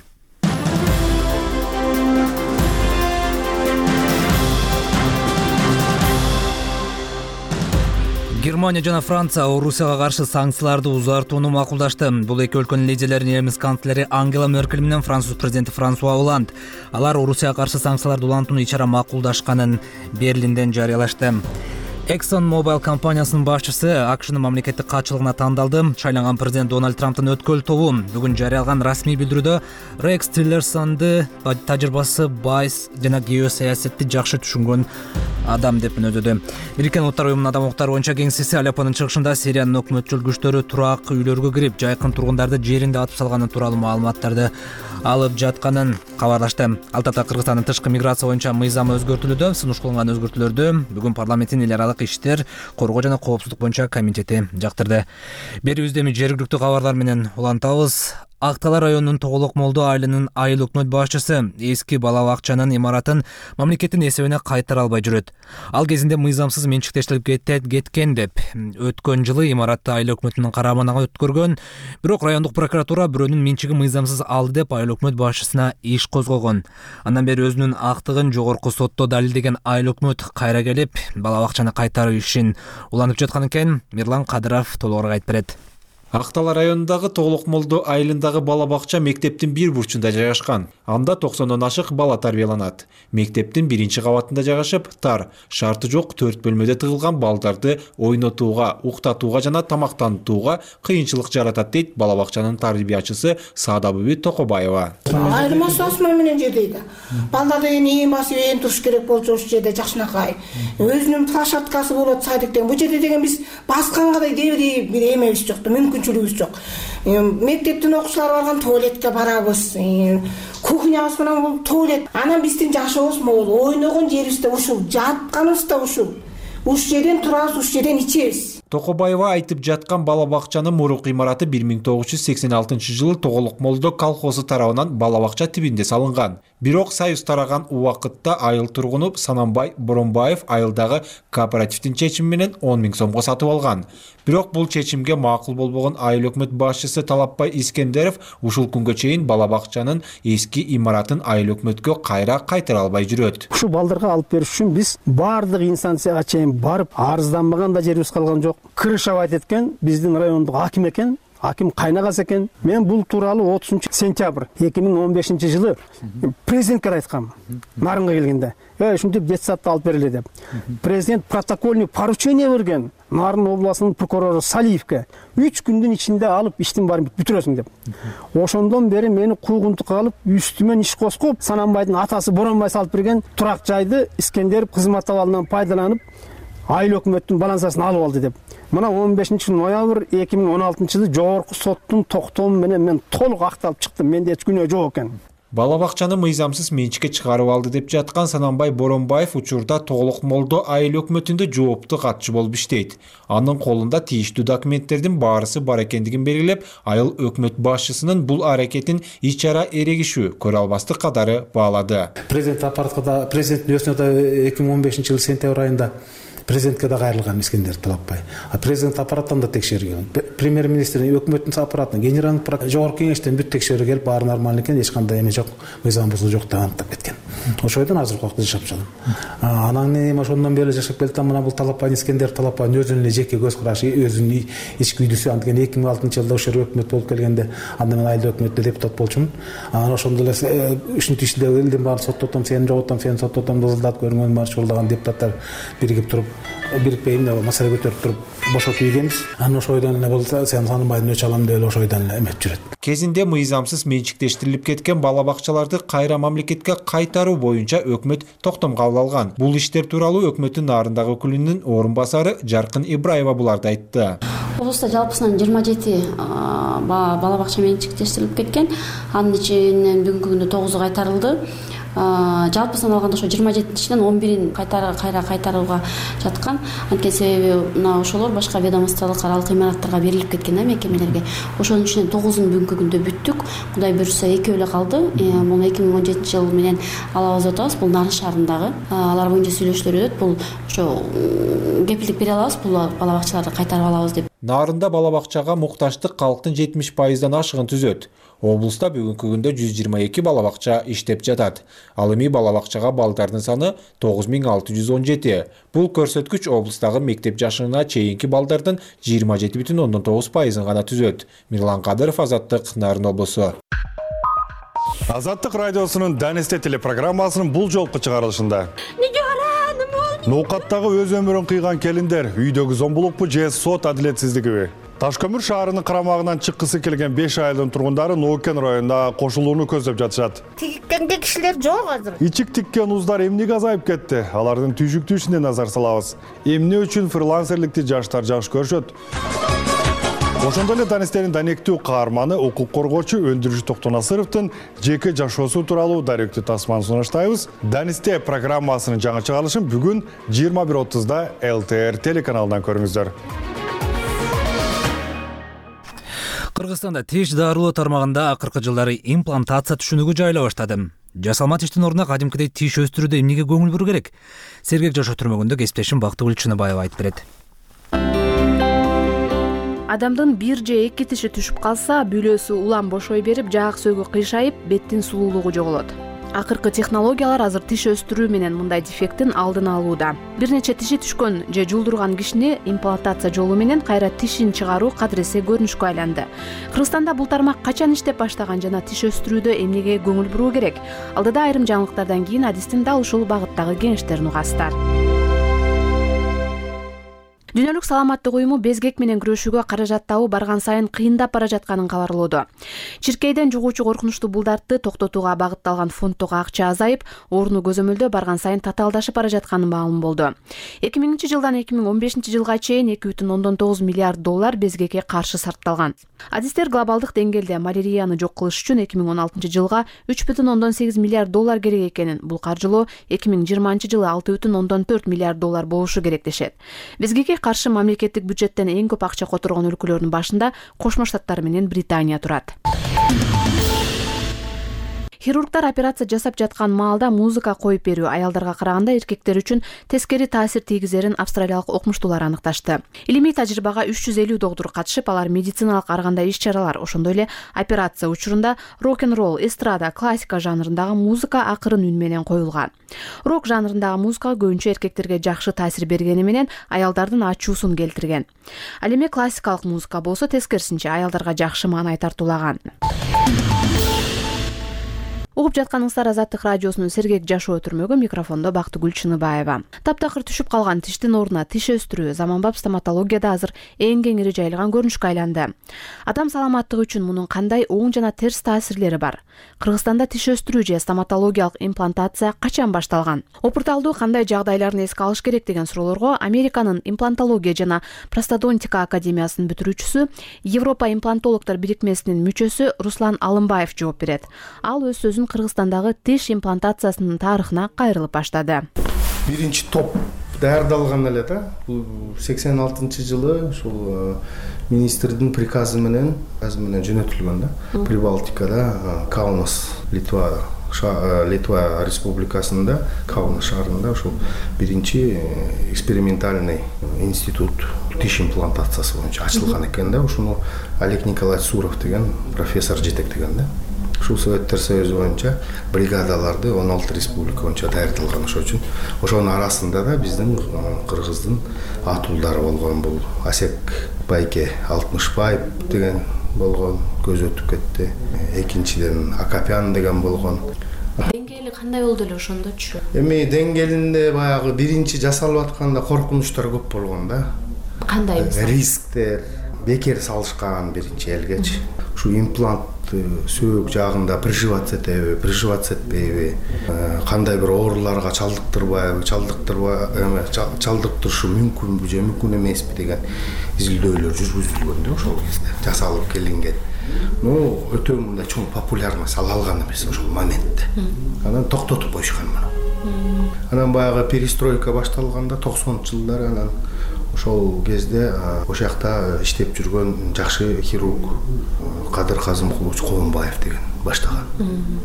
Германия жана Франция Орусияга каршы санкцияларды узартууну макулдашты. Бул эки өлкөнүн лидерлери немис канцлери Ангела Меркель менен француз президенти Франсуа Оланд. Алар Орусияга каршы санкцияларды улантууну ичара макулдашканын Берлинден жарыялашты. ExxonMobil компаниясынын башчысы АКШнын мамлекеттик катчылыгына тандалды. Шайланган президент Дональд Трамптын өткөл тобу бүгүн жарыяланган расмий билдирүүдө Рекс Тиллерсонду тажрыйбасы байс жана геосаясатты жакшы түшүнгөн адам деп өнөдү. Бириккен Улуттар уюмунун адам укуктары боюнча кеңсеси Алеппонун чыгышында Сириянын өкмөтчүл күчтөрү турак үйлөргө кирип, жайкын тургундарды жеринде атып салганы тууралуу маалыматтарды алып жатканын кабарлашты. Ал тапта Кыргызстандын тышкы миграция боюнча мыйзамы өзгөртүлүүдө. Сунуш кылынган өзгөртүүлөрдү бүгүн парламенттин эл аралык иштер, коргоо жана коопсуздук боюнча комитети жактырды. Берүүбүздө эми жергиликтүү кабарлар менен улантабыз. Актала районунун Тоголок Молдо айылынын айыл өкмөт башчысы эски бала бакчанын имаратын мамлекеттин эсебине кайтара албай жүрөт. Ал кезинде мыйзамсыз менчиктештирип кеткен деп өткөн жылы имаратты айыл өкмөтүнүн карамагына өткөргөн. Бирок райондук прокуратура бирөөнүн менчиги мыйзамсыз алды деп айыл өкмөт башчысына иш козгогон. Андан бери өзүнүн актыгын жогорку сотто далилдеген айыл өкмөт кайра келип, бала бакчаны кайтаруу ишин улантып жаткан экен. Мирлан Кадыров толугураак айтып берет. Актала районундагы Тоголок Молдо айылындагы бала бакча мектептин бир бурчунда жайгашкан. Анда токсондон ашык бала тарбияланат. Мектептин биринчи кабатында жайгашып, тар, шарты жок төрт бөлмөдө тыгылган балдарды ойнотууга, уктатууга жана тамактанууга кыйынчылык жаратат дейт бала бакчанын тарбиячысы Саадабүбү Токобаева. Айырмасы осман менен жердейди. Балдар деген ээн басып ээн туруш керек болчу ушул жерде жакшынакай. Өзүнүн площадкасы болот садиктен. Бул жерде деген биз баскангадай дебри бир эмебиз жок, мүмкүнчүлүгүбүз жок. Мектептин окуучулары барган туалетке барабыз. Кухнябыз менен бул туалет. Анан биздин жашообуз могул, ойногон жерибиз да ушул, жатканыбыз да ушул. Ушул жерден турабыз, ушул жерден ичебиз. Токобаева айтып жаткан бала бакчанын мурук имараты бир миң тогуз жүз сексен алтынчы жылы Тоголок Молдо колхозу тарабынан бала бакча тибинде салынган. Бирок союз тараган убакытта айыл тургуну Санамбай Боронбаев айылдагы кооперативдин чечими менен он миң сомго сатып алган. Бирок бул чечимге макул болбогон айыл өкмөт башчысы Талапбай Искендеров ушул күнгө чейин бала бакчанын эски имаратын айыл өкмөткө кайра кайтара албай жүрөт. Ушу балдарга алып бериш үчүн биз баардык инстанцияга чейин барып арызданбаган да жерибиз калган жок. Крышавайт эткен биздин райондук аким экен. Аким кайнагасы экен. Мен бул тууралуу отузунчу сентябрь эки миң он бешинчи жылы президентке айткам. Нарынга келгенде, "Эй, ушинтип детсадты алып бергиле" деп. Президент протокольный поручение берген Нарын областынын прокурору Салиевке үч күндүн ичинде алып иштин баарын бүтүрөсүң деп. Ошондон бери мени куугунтукка алып, үстүмөн иш коскоп, Санамбайдын атасы Боронбай салып берген турак жайды Искендеров кызмат абалынан пайдаланып, айыл өкмөттүн балансасын алып алды деп. Мына он бешинчи ноябрь эки миң он алтынчы жылы жогорку соттун токтому менен мен толук акталып чыктым. Менде эч күнөө жок экен. Бала бакчаны мыйзамсыз менчикке чыгарып алды деп жаткан Санамбай Боронбаев учурда Толук Молдо айыл өкмөтүндө жоопту катчы болуп иштейт. Анын колунда тийиштүү документтердин баарысы бар экендигин белгилеп, айыл өкмөт башчысынын бул аракетин ич ара эрегишүү, көрө албастык катары баалады. Президент аппаратка да, президенттин өзүнө да эки миң он бешинчи жылы сентябрь айында президентке да кайрылган Искендер Талапбай. А президент аппараттан да текшерген. Премьер-министрдин, өкмөттүн аппаратынан, генералдык жогорку кеңештен бүт текшерүү келип, баары нормалдуу экен, эч кандай эме жок, мыйзам бузуу жок деп аныктап кеткен. Ошойдон азыркы убакта жашап жатам. Анан эми ошондон бери жашап келатам. Мына бул Талапбай Искендер Талапбайдын өзүнүн эле жеке көз карашы, өзүнүн ички үйдүсү. Анткен эки миң алтынчы жылда ошол өкмөт болуп келгенде, анда мен айыл өкмөттө депутат болчумун. Анан ошондо эле ушинтип иштеп элдин баарын соттотом, сени жоготом, сени соттотом, дызылдатып көргөн бар чогулдаган депутаттар биригип туруп, бирикпейм деп маселе көтөрүп туруп бошотуп ийгенбиз. Анан ошойдон эле болсо сен Санамбайдын өч алам деп эле ошойдон эле эметип жүрөт. Кезинде мыйзамсыз менчиктештирилип кеткен бала бакчаларды кайра мамлекетке кайтаруу боюнча өкмөт токтом кабыл алган. Бул иштер тууралуу өкмөттүн Нарындагы өкүлүнүн орун басары Жаркын Ибраева буларды айтты. Облуста жалпысынан жыйырма жети бала бакча менчиктештирилип кеткен. Анын ичинен бүгүнкү күндө тогузу кайтарылды. Жалпысынан алганда ошо жыйырма жетинчиден он бирин кайра кайра кайтарууга жаткан. Анткени себеби мына ошолор башка ведомстволук аралык имараттарга берилип кеткен да мекемелерге. Ошонун ичинен тогузун бүгүнкү күндө бүттүк. Кудай буйрса экөө эле калды. Бул эки миң он жетинчи жыл менен алабыз деп атабыз. Бул Нарын шаарындагы. Алар боюнча сүйлөшүүлөр өтөт. Бул ошо кепилдик бере алабыз, бул бала бакчаларды кайтарып алабыз деп. Нарында бала бакчага мукташтык калктын жетимиш пайыздан ашыгын түзөт. Облуста бүгүнкү күндө жүз жыйырма эки бала бакча иштеп жатат. Ал эми бала бакчага балдардын саны тогуз миң алты жүз он жети. Бул көрсөткүч облустагы мектеп жашына чейинки балдардын жыйырма жети бүтүн ондон тогуз пайызын гана түзөт. Мирлан Кадыров, Азаттык, Нарын облусу. Азаттык радиосунун Данисте телепрограммасынын бул жолку чыгарылышында ноокаттагы өз өмүрүн кыйган келиндер үйдөгү зомбулукпу же сот адилетсиздигиби? Ташкөмүр шаарынын карамагынан чыккысы келген беш айылдын тургундары Ноокен районунда кошулууну көздөп жатышат. Тиккенге кишилер жок азыр. Ичик тиккен уздар эмнеге азайып кетти? Алардын түйшүктүүсүнө назар салабыз. Эмне үчүн фрилансерликти жаштар жакшы көрүшөт? Ошондой эле Данистердин данектүү каарманы укук коргоочу Өндүрүш Токтонасыровдун жеке жашоосу тууралуу даректүү тасманы сунуштайбыз. Данисте программасынын жаңы чыгарылышын бүгүн жыйырма бир отузда эл тэ эр телеканалынан көрүңүздөр. Кыргызстанда тиш дарылоо тармагында акыркы жылдары имплантация түшүнүгү жайыла баштады. Жасалма тиштин ордуна кадимкидей тиш өстүрүүдө эмнеге көңүл буруу керек? Сергек жашоо түрмөгүндө кесиптешим Бактыгүл Чыныбаева айтып берет. Адамдын бир же эки тиши түшүп калса, бүлөсү улам бошой берип, жаак сөөгү кыйшайып, беттин сулуулугу жоголот. Акыркы технологиялар азыр тиш өстүрүү менен мындай дефекттин алдын алууда. Бир нече тиши түшкөн же жулдурган кишини имплантация жолу менен кайра тишин чыгаруу кадыресе көрүнүшкө айланды. Кыргызстанда бул тармак качан иштеп баштаган жана тиш өстүрүүдө эмнеге көңүл буруу керек? Алдыда айрым жаңылыктардан кийин адистин дал ушул багыттагы кеңештерин угасыздар. Дүйнөлүк саламаттык уюму безгек менен күрөшүүгө каражат табуу барган сайын кыйындап бара жатканын кабарлоодо. Чиркейден жугуучу коркунучтуу булдартты токтотууга багытталган фонддогу акча азайып, орну көзөмөлдөө барган сайын татаалдашып бара жатканы маалым болду. эки миңинчи жылдан эки миң он бешинчи жылга чейин эки бүтүн ондон тогуз миллиард доллар безгекке каршы сарпталган. Адистер глобалдык деңгээлде малярияны жок кылыш үчүн эки миң он алтынчы жылга үч бүтүн ондон сегиз миллиард доллар керек экенин, бул каржылоо эки миң жыйырманчы жылы алты бүтүн ондон төрт миллиард доллар болушу керек дешет. Безгекке каршы мамлекеттик бюджеттен эң көп акча которгон өлкөлөрдүн башында Кошмо Штаттар менен Британия турат. Хирургдар операция жасап жаткан маалда музыка коюп берүү аялдарга караганда эркектер үчүн тескери таасир тийгизерин австралиялык окумуштуулар аныкташты. Илимий тажрыйбага үч жүз элүү доктур катышып, алар медициналык ар кандай иш-чаралар, ошондой эле операция учурунда рок-н-ролл, эстрада, классика жанрындагы музыка акырын үн менен коюлган. Рок жанрындагы музыка көбүнчө эркектерге жакшы таасир бергени менен аялдардын ачуусун келтирген. Ал эми классикалык музыка болсо тескерисинче аялдарга жакшы маанай тартуулаган. Угуп жатканыңыздар Азаттык радиосунун сергек жашоо өтүрмөгү, микрофондо Бактыгүл Чыныбаева. Таптакыр түшүп калган тиштин ордуна тиш өстүрүү заманбап стоматологияда азыр эң кеңири жайылган көрүнүшкө айланды. Адам саламаттыгы үчүн мунун кандай оң жана терс таасирлери бар? Кыргызстанда тиш өстүрүү же стоматологиялык имплантация качан башталган? Опурталдуу кандай жагдайларын эске алыш керек деген суроолорго Американын имплантология жана простодонтика академиясынын бүтүрүүчүсү, Европа имплантологдор бирикмесинин мүчөсү Руслан Алымбаев жооп берет. Ал өз сөзүн Кыргызстандагы тиш имплантациясынын тарыхына кайрылып баштады. Биринчи топ даярдалган эле да. Бул сексен алтынчы жылы ушул министрдин приказы менен, приказы менен жөнөтүлгөн да. Прибалтикада, Каунас, Литва, Литва республикасында, Каунас шаарында ушул биринчи экспериментальный институт тиш имплантациясы боюнча ачылган экен да. Ушуну Олег Николаевич Суров деген профессор жетектеген да. Ушул Советтер Союзу боюнча бригадаларды он алты республика боюнча даярдалган. Ошол үчүн ошонун арасында да биздин Кыргыздын атуулдары болгон. Бул Асек Байке Алтмышбаев деген болгон, көз өтүп кетти. Экинчиден Акапян деген болгон. Деңгээли кандай болду эле ошондочу? Эми деңгээлинде баягы биринчи жасалып атканда коркунучтар көп болгон да. Кандай мисалы? Рисктер, бекер салышкан биринчи элгечи. Ушу имплант сөөк жагында приживаться этеби, приживаться этпейби, кандай бир ооруларга чалдыктырбайбы, чалдыктырбай, эме чалдыктырышы мүмкүнбү же мүмкүн эмеспи деген изилдөөлөр жүргүзүлгөн да ошол кезде жасалып келинген. Ну, өтө мындай чоң популярность ала алган эмес ошол моментте. Анан токтотуп коюшкан муну. Анан баягы перестройка башталганда токсонунчу жылдары анан ошол кезде ошол жакта иштеп жүргөн жакшы хирург Кадыр Казымкулович Коомбаев деген баштаган.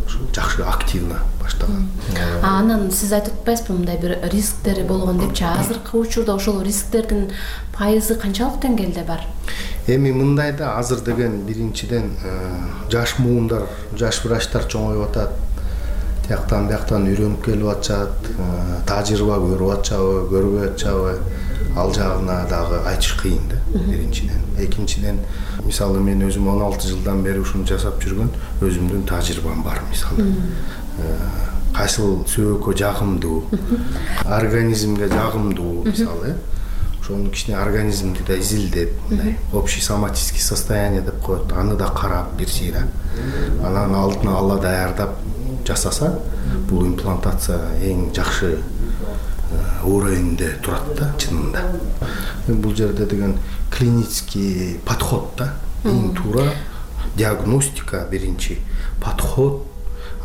Ошол жакшы активно баштаган. А анан сиз айтып атпайсызбы мындай бир рисктери болгон депчи? Азыркы учурда ошол рисктердин пайызы канчалык деңгээлде бар? Эми мындай да, азыр деген биринчиден жаш муундар, жаш врачтар чоңоюп атат. Тияктан бияктан үйрөнүп келип атышат, тажрыйба көрүп атышабы, көрбөй атышабы, ал жагына дагы айтыш кыйын да, биринчиден. Экинчиден, мисалы мен өзүм он алты жылдан бери ушуну жасап жүргөн өзүмдүн тажрыйбам бар, мисалы. Кайсыл сөөгкө жагымдуу, организмге жагымдуу, мисалы. Ошону кичине организмди да изилдеп, мындай общий соматический состояние деп коет, аны да карап бир сыйра. Анан алдын ала даярдап жасаса, бул имплантация эң жакшы уровеньде турат да, чынында. Бул жерде деген клинический подход да, эң туура диагностика биринчи, подход,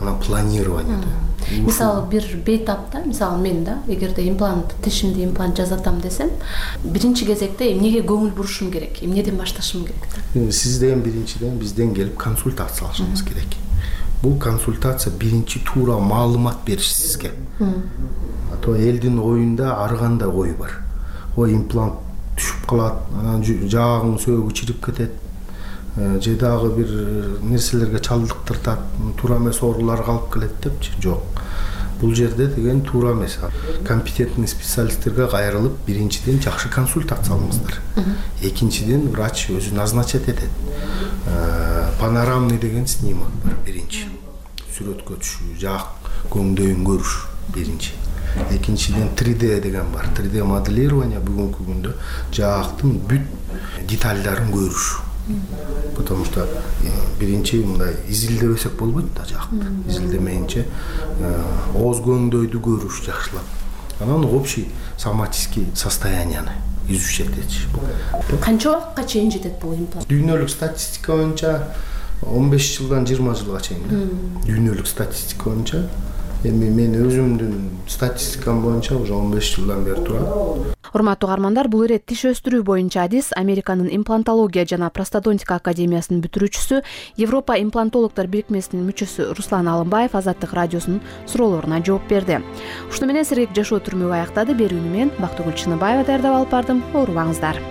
анан планирование да. Мисалы бир бейтапта, мисалы мен да, эгерде имплант, тишимди имплант жасатам десем, биринчи кезекте эмнеге көңүл бурушум керек, эмнеден башташым керек да? Сизден биринчиден бизден келип консультация алышыңыз керек. Бул консультация биринчи туура маалымат бериш сизге. А то элдин оюнда ар кандай ой бар. Ой, имплант түшүп калат, анан жаагың сөөгү чирип кетет, же дагы бир нерселерге чалдыктыртат, туура эмес ооруларга алып келет депчи. Жок. Бул жерде деген туура эмес. Компетентный специалисттерге кайрылып, биринчиден жакшы консультация алыңыздар. Экинчиден врач өзү назначать этет. Панорамный деген снимок бар биринчи. Сүрөткө түшүү, жаак көңдөйүн көрүш биринчи. Экинчиден три дэ деген бар. три дэ моделирование бүгүнкү күндө жаактын бүт детальдарын көрүш. Потому что биринчи мындай изилдебесек болбойт да жаакты. Изилдемейинче ооз көңдөйдү көрүш жакшылап. Анан общий соматический состоянияны изучать этиш. Канча убакытка чейин жетет бул имплант? Дүйнөлүк статистика боюнча он беш жылдан жыйырма жылга чейин. Дүйнөлүк статистика боюнча. Эми мен өзүмдүн статистикам боюнча уже он беш жылдан бери турат. Урматтуу каармандар, бул ирет тиш өстүрүү боюнча адис Американын имплантология жана простодонтика академиясынын бүтүрүүчүсү, Европа имплантологдор бирикмесинин мүчөсү Руслан Алымбаев Азаттык радиосунун суроолоруна жооп берди. Ушуну менен сергек жашоо түрмөгү аяктады. Берүүнү мен Бактыгүл Чыныбаева даярдап алып бардым. Оорубаңыздар.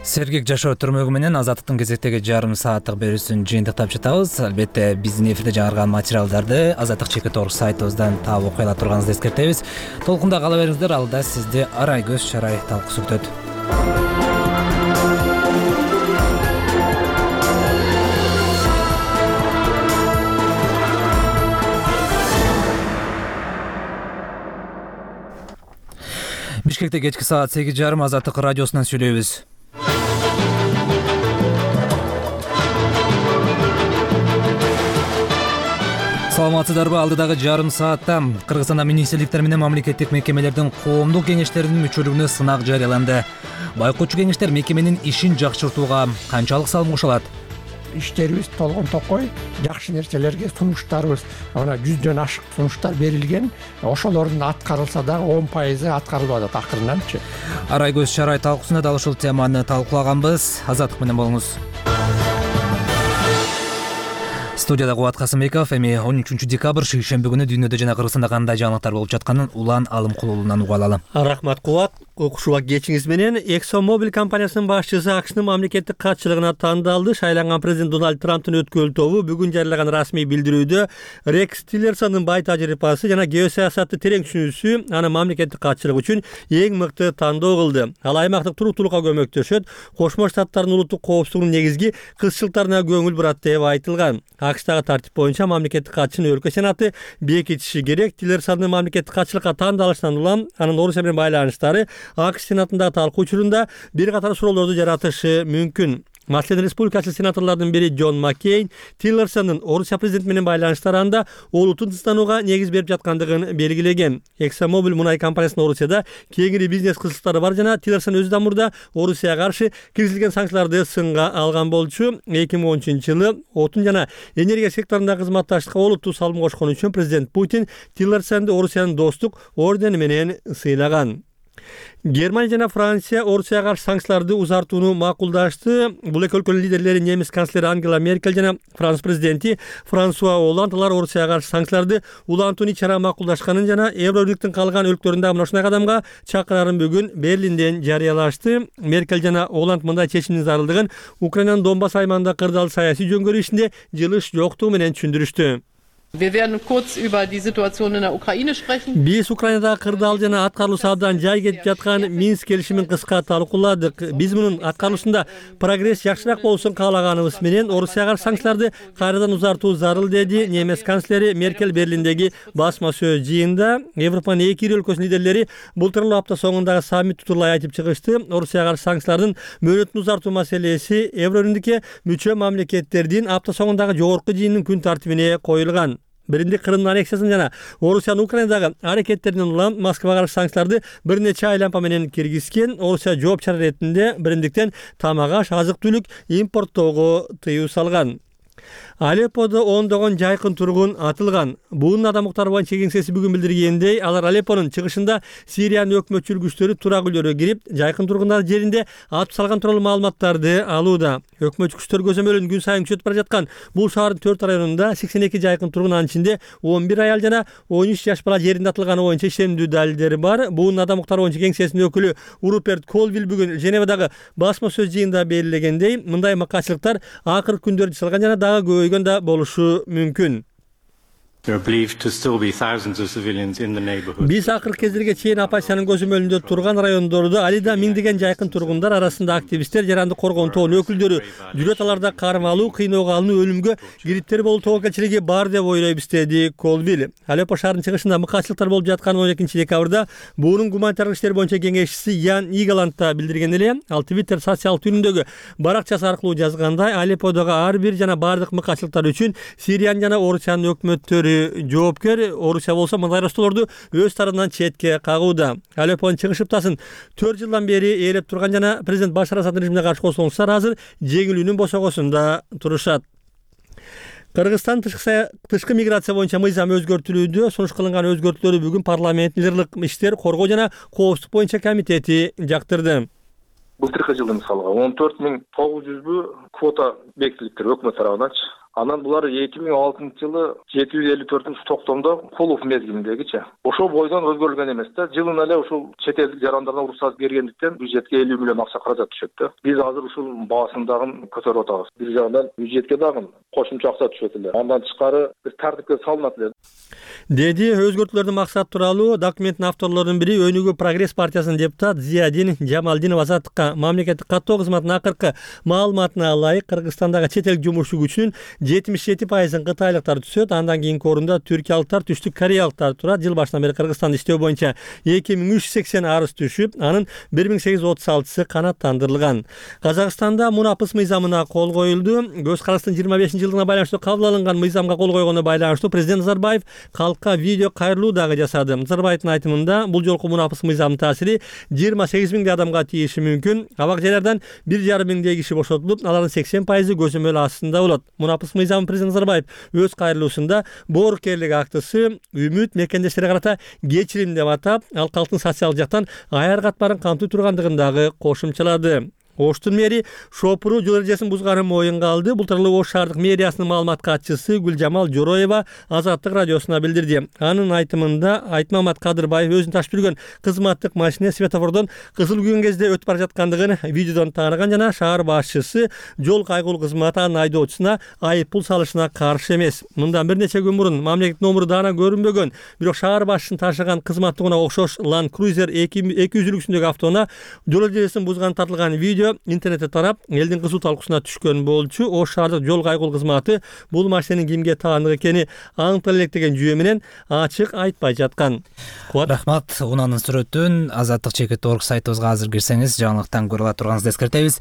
Сергек жашоо түрмөгү менен Азаттыктын кезектеги жарым сааттык берүүсүн жыйынтыктап жатабыз. Албетте биздин эфирде жаңырган материалдарды Азаттык чекит орг сайтыбыздан таап окуй ала турганыңызды эскертебиз. Толкунда кала бериңиздер, алда сизди Арай көз чарай талкуусу күтөт. Бишкекте кечки саат сегиз жарым Азаттык радиосунан сүйлөйбүз. Саламатсыздарбы? Алдыдагы жарым саатта Кыргызстанда министрликтер менен мамлекеттик мекемелердин коомдук кеңештеринин мүчөлүгүнө сынак жарыяланды. Байкоочу кеңештер мекеменин ишин жакшыртууга канчалык салым кошо алат? Иштерибиз толгон токой, жакшы нерселерге сунуштарыбыз, ana жүздөн ашык сунуштар берилген. Ошолордун аткарылса дагы он пайызы аткарылып атат акырынанчы. Арай көз чарай талкуусунда дал ушул теманы талкуулаганбыз. Азаттык менен болуңуз. Студияда Кубат Касымбеков. Эми он үчүнчү декабрь шейшемби күнү дүйнөдө жана Кыргызстанда кандай жаңылыктар болуп жатканын Улан Алымкулуулунан уга алалы. Рахмат Кубат. Окушууга кечиңиз менен ExxonMobil компаниясынын башчысы АКШнын мамлекеттик катчылыгына тандалды. Шайланган президент Дональд Трамптын өткөл тобу бүгүн жарыялаган расмий билдирүүдө Рекс Тиллерсондун бай тажрыйбасы жана геосаясатты терең түшүнүүсү аны мамлекеттик катчылык үчүн эң мыкты тандоо кылды. Ал аймактык туруктуулукка көмөктөшөт, Кошмо Штаттардын улуттук коопсуздугунун негизги кызчылыктарына көңүл бурат деп айтылган. АКШтагы тартип боюнча мамлекеттик катчыны өлкө сенаты бекитиши керек. Тиллерсондун мамлекеттик катчылыкка тандалышынан улам анын Орусия менен байланыштары АКШ сенатындагы талкуу учурунда бир катар суроолорду жаратышы мүмкүн. Маселен, республикачыл сенаторлордун бири Джон Маккейн Тиллерсондун Орусия президенти менен байланыштары анда олуттун тынчтанууга негиз берип жаткандыгын белгилеген. ExxonMobil мунай компаниясынын Орусияда кеңири бизнес кызыктары бар жана Тиллерсон өзү да мурда Орусияга каршы киргизилген санкцияларды сынга алган болчу. эки миң он үчүнчү жылы отун жана энергия секторундагы кызматташтыкка олуттуу салым кошкон үчүн президент Путин Тиллерсонду Орусиянын достук ордени менен сыйлаган. Германия жана Франция Орусияга каршы санкцияларды узартууну макулдашты. Бул эки өлкөнүн лидерлери немис канцлери Ангела Меркель жана Франц президенти Франсуа Олланд алар Орусияга каршы санкцияларды улантууну ичара макулдашканын жана Евробирликтин калган өлкөлөрүндө мына ушундай кадамга чакырарын бүгүн Берлинден жарыялашты. Меркель жана Олланд мындай чечимдин зарылдыгын Украинанын Донбасс аймагында кырдаал саясий жөнгөрүү ишинде жылыш жоктугу менен түшүндүрүштү. Wir werden kurz über die Situation in der Ukraine sprechen. Биз Украинадагы кырдаал жана аткарылуусу абдан жай кетип жаткан Минск келишимин кыска талкууладык. Биз мунун аткарылышында прогресс жакшыраак болсун каалаганыбыз менен Орусияга каршы санкцияларды кайрадан узартуу зарыл, деди немис канцлери Меркель Берлиндеги басма сөз жыйында. Европанын эки ири өлкөсүнүн лидерлери былтыркы апта соңундагы саммит турулай айтып чыгышты. Орусияга каршы санкциялардын мөөнөтүн узартуу маселеси Евробирликке мүчө мамлекеттердин апта соңундагы жогорку жыйынынын күн тартибине коюлган. Бириндик Крымдын аннексиясын жана Орусиянын Украинадагы аракеттеринен улам Москвага каршы санкцияларды бир нече айлампа менен киргизген. Орусия жооп чара иретинде бириндиктен тамак аш, азык-түлүк импорттоого тыюу салган. Алепподо ондогон жайкын тургун атылган. Буунун адам укуктары боюнча кеңсеси бүгүн билдиргендей, алар Алеппонун чыгышында Сириянын өкмөтчүл күчтөрү турак үйлөргө кирип, жайкын тургундар жеринде атып салган тууралуу маалыматтарды алууда. Өкмөтчү күчтөр көзөмөлүн күн сайын күчөтүп бара жаткан бул шаардын төрт районунда сексен эки жайкын тургун, анын ичинде он бир аял жана он үч жаш бала жеринде атылганы боюнча ишенимдүү далилдери бар. Буунун адам укуктары боюнча кеңсесинин өкүлү Руперт Колвилл бүгүн Женевадагы басма сөз жыйынында белгилегендей, мындай макачылыктар акыркы күндөрдө жасалган жана дагы көбөйгөн да болушу мүмкүн. Биз акыркы кездерге чейин оппозициянын көзөмөлүндө турган райондордо алида миңдеген жайкын тургундар арасында активисттер, жарандык коргоонун тобунун өкүлдөрү жүрөт, аларда кармалуу, кыйноого алынуу, өлүмгө кириптер болуу тобокелчилиги бар деп ойлойбуз, деди Колвилл. Алеппо шаарынын чыгышында мыкаачылыктар болуп жаткан он экинчи декабрда буунун гуманитардык иштер боюнча кеңешчиси Ян Игаланд да билдирген эле. Ал Твиттер социалдык түрүндөгү баракчасы аркылуу жазгандай, Алепподогу ар бир жана бардык мыкаачылыктар үчүн Сириянын жана Орусиянын өкмөттөрү жоопкер. Орусия болсо мындай ростоолорду өз тарабынан четке кагууда. Алеппонун чыгыш ыптасын төрт жылдан бери ээлеп турган жана президент Башар Асаддын режимине каршы кошулуңуздар азыр жеңилүүнүн босогосунда турушат. Кыргызстан тышкы миграция боюнча мыйзам өзгөртүлүүдө. Сунуш кылынган өзгөртүүлөрдү бүгүн парламент ырлык иштер коргоо жана коопсуздук боюнча комитети жактырды. Былтыркы жылы мисалга он төрт миң тогуз жүзбү квота бекитилиптир өкмөт тарабынан. Анан булар эки миң алтынчы жылы жети жүз элүү төртүнчү токтомдо кулуф мезгилиндегичи. Ошол бойдон өзгөрүлгөн эмес да. Жылына эле ушул чет элдик жарандардан уруксат бергендиктен бюджетке элүү миллион акча каражат түшөт да. Биз азыр ушул баасын дагы көтөрүп атабыз. Бир жагынан бюджетке дагы кошумча акча түшөт эле. Андан тышкары бир тартипке салынат эле. Деди өзгөртүүлөрдүн максаты тууралуу документтин авторлорунун бири Өнүгүү прогресс партиясынын депутат Зиядин Жамалдинов Азаттыкка мамлекеттик каттоо кызматынын акыркы маалыматына ылайык Кыргызстандагы чет элдик жумушчу күчүнүн жетимиш жети пайызын кытайлыктар түсөт. Андан кийинки орунда түркиялыктар, түштүк кореялыктар турат. Жыл башынан бери Кыргызстанда иштөө боюнча эки миң үч жүз сексен арыз түшүп, анын бир миң сегиз жүз отуз алтысы канааттандырылган. Казакстанда мунапыс мыйзамына кол коюлду. Көз караштын жыйырма бешинчи жылдыгына байланыштуу кабыл алынган мыйзамга кол койгонуна байланыштуу президент Назарбаев калкка видео кайрылуу дагы жасады. Назарбаевдин айтымында бул жолку мунапыс мыйзамдын таасири жыйырма сегиз миңдей адамга тийиши мүмкүн. Абак жайлардан бир жарым миңдей киши бошотулуп, алардын сексен пайызы көзөмөл астында болот. Мунапыс мыйзам президент Назарбаев өз кайрылуусунда боорукерлик актысы үмүт мекендештерге карата кечирим деп атап, ал калктын социалдык жактан аяр катмарын камтый тургандыгын дагы кошумчалады. Оштун мэри Шопуру жол эрежесин бузганын моюнга алды. Бул тууралуу Ош шаардык мэриясынын маалымат катчысы Гүлжамал Жороева Азаттык радиосуна билдирди. Анын айтымында Айтмамат Кадырбаев өзүнүн ташып жүргөн кызматтык машина светофордон кызыл күйгөн кезде өтүп бара жаткандыгын видеодон тааныган жана шаар башчысы жол кайгылуу кызматы анын айдоочусуна айып пул салышына каршы эмес. Мындан бир нече күн мурун мамлекет номуру даана көрүнбөгөн, бирок шаар башчысын ташыган кызматтыгына окшош Land Cruiser эки жүз үлгүсүндөгү автоунаа жол эрежесин бузган тартылган видео интернетте тарап, элдин кызуу талкуусуна түшкөн болчу. Ош шаардык жол кайгылуу кызматы бул машинанын кимге таандык экени аныктала элек деген жүйө менен ачык айтпай жаткан. Рахмат. Унаанын сүрөтүн азаттык чекит точка орг сайтыбызга азыр кирсеңиз жаңылыктан көрө ала турганыңызды эскертебиз.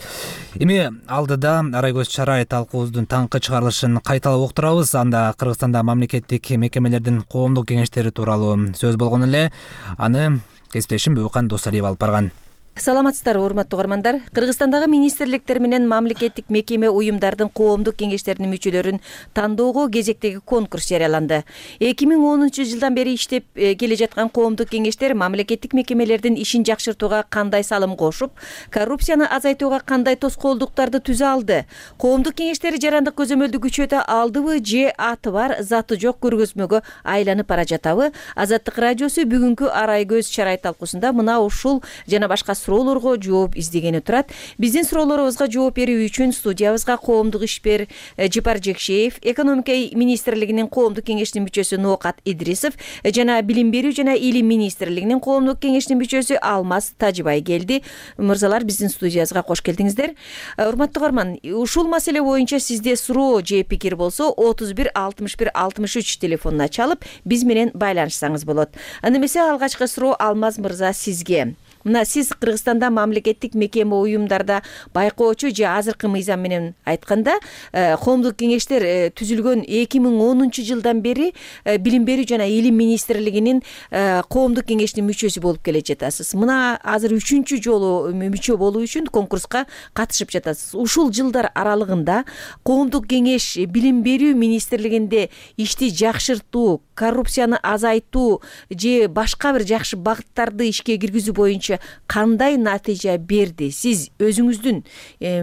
Эми алдыда Арайгөз Чарай талкуубуздун таңкы чыгарылышын кайталап уктурабыз. Анда Кыргызстанда мамлекеттик мекемелердин коомдук кеңештери тууралуу сөз болгон эле. Аны кесиптешим Бөкан Досалиев алып барган. Саламатсыздарбы, урматтуу угармандар. Кыргызстандагы министрликтер менен мамлекеттик мекеме уюмдардын коомдук кеңештеринин мүчөлөрүн тандоого кезектеги конкурс жарыяланды. эки миң онунчу жылдан бери иштеп келе жаткан коомдук кеңештер мамлекеттик мекемелердин ишин жакшыртууга кандай салым кошуп, коррупцияны азайтууга кандай тоскоолдуктарды түзө алды? Коомдук кеңештер жарандык көзөмөлдү күчөтө алдыбы же аты бар, заты жок көргөзмөгө айланып бара жатабы? Азаттык радиосу бүгүнкү Арайгөз Чарай талкуусунда мына ушул жана башка суроолорго жооп издегени турат. Биздин суроолорубузга жооп берүү үчүн студиябызга коомдук ишмер Жипар Жекшеев, экономика министрлигинин коомдук кеңешинин мүчөсү Ноокат Идрисов жана билим берүү жана илим министрлигинин коомдук кеңешинин мүчөсү Алмаз Тажыбай келди. Мырзалар, биздин студиябызга кош келдиңиздер. Урматтуу угарман, ушул маселе боюнча сизде суроо же пикир болсо отуз бир алтымыш бир алтымыш үч телефонуна чалып биз менен байланышсаңыз болот. Анда эмесе алгачкы суроо Алмаз мырза сизге. Мына сиз Кыргызстанда мамлекеттик мекеме уюмдарда байкоочу же азыркы мыйзам менен айтканда коомдук кеңештер түзүлгөн эки миң онунчу жылдан бери билим берүү жана илим министрлигинин коомдук кеңешинин мүчөсү болуп келе жатасыз. Мына азыр үчүнчү жолу мүчө болуу үчүн конкурска катышып жатасыз. Ушул жылдар аралыгында коомдук кеңеш билим берүү министрлигинде ишти жакшыртуу, коррупцияны азайтуу же башка бир жакшы багыттарды ишке киргизүү боюнча кандай натыйжа берди? Сиз өзүңүздүн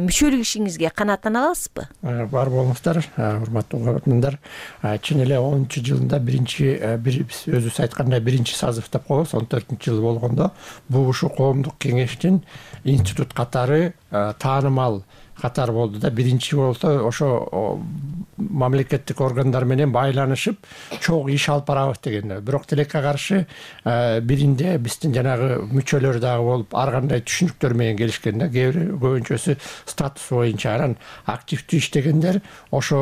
мүчөлүк ишиңизге канааттана аласызбы? Бар болуңуздар, урматтуу угармандар. Чын эле онунчу жылында биринчи биз өзүбүз айткандай биринчи созыв деп коебуз, он төртүнчү жыл болгондо бул ушул коомдук кеңештин институт катары таанымал катар болду да. Биринчи болсо ошо мамлекеттик органдар менен байланышып чоң иш алып барабыз деген. Бирок тилекке каршы биринде биздин жанагы мүчөлөр дагы болуп ар кандай түшүнүктөр менен келишкен да. Кээ бир көбүнчөсү статус боюнча, анан активдүү иштегендер ошо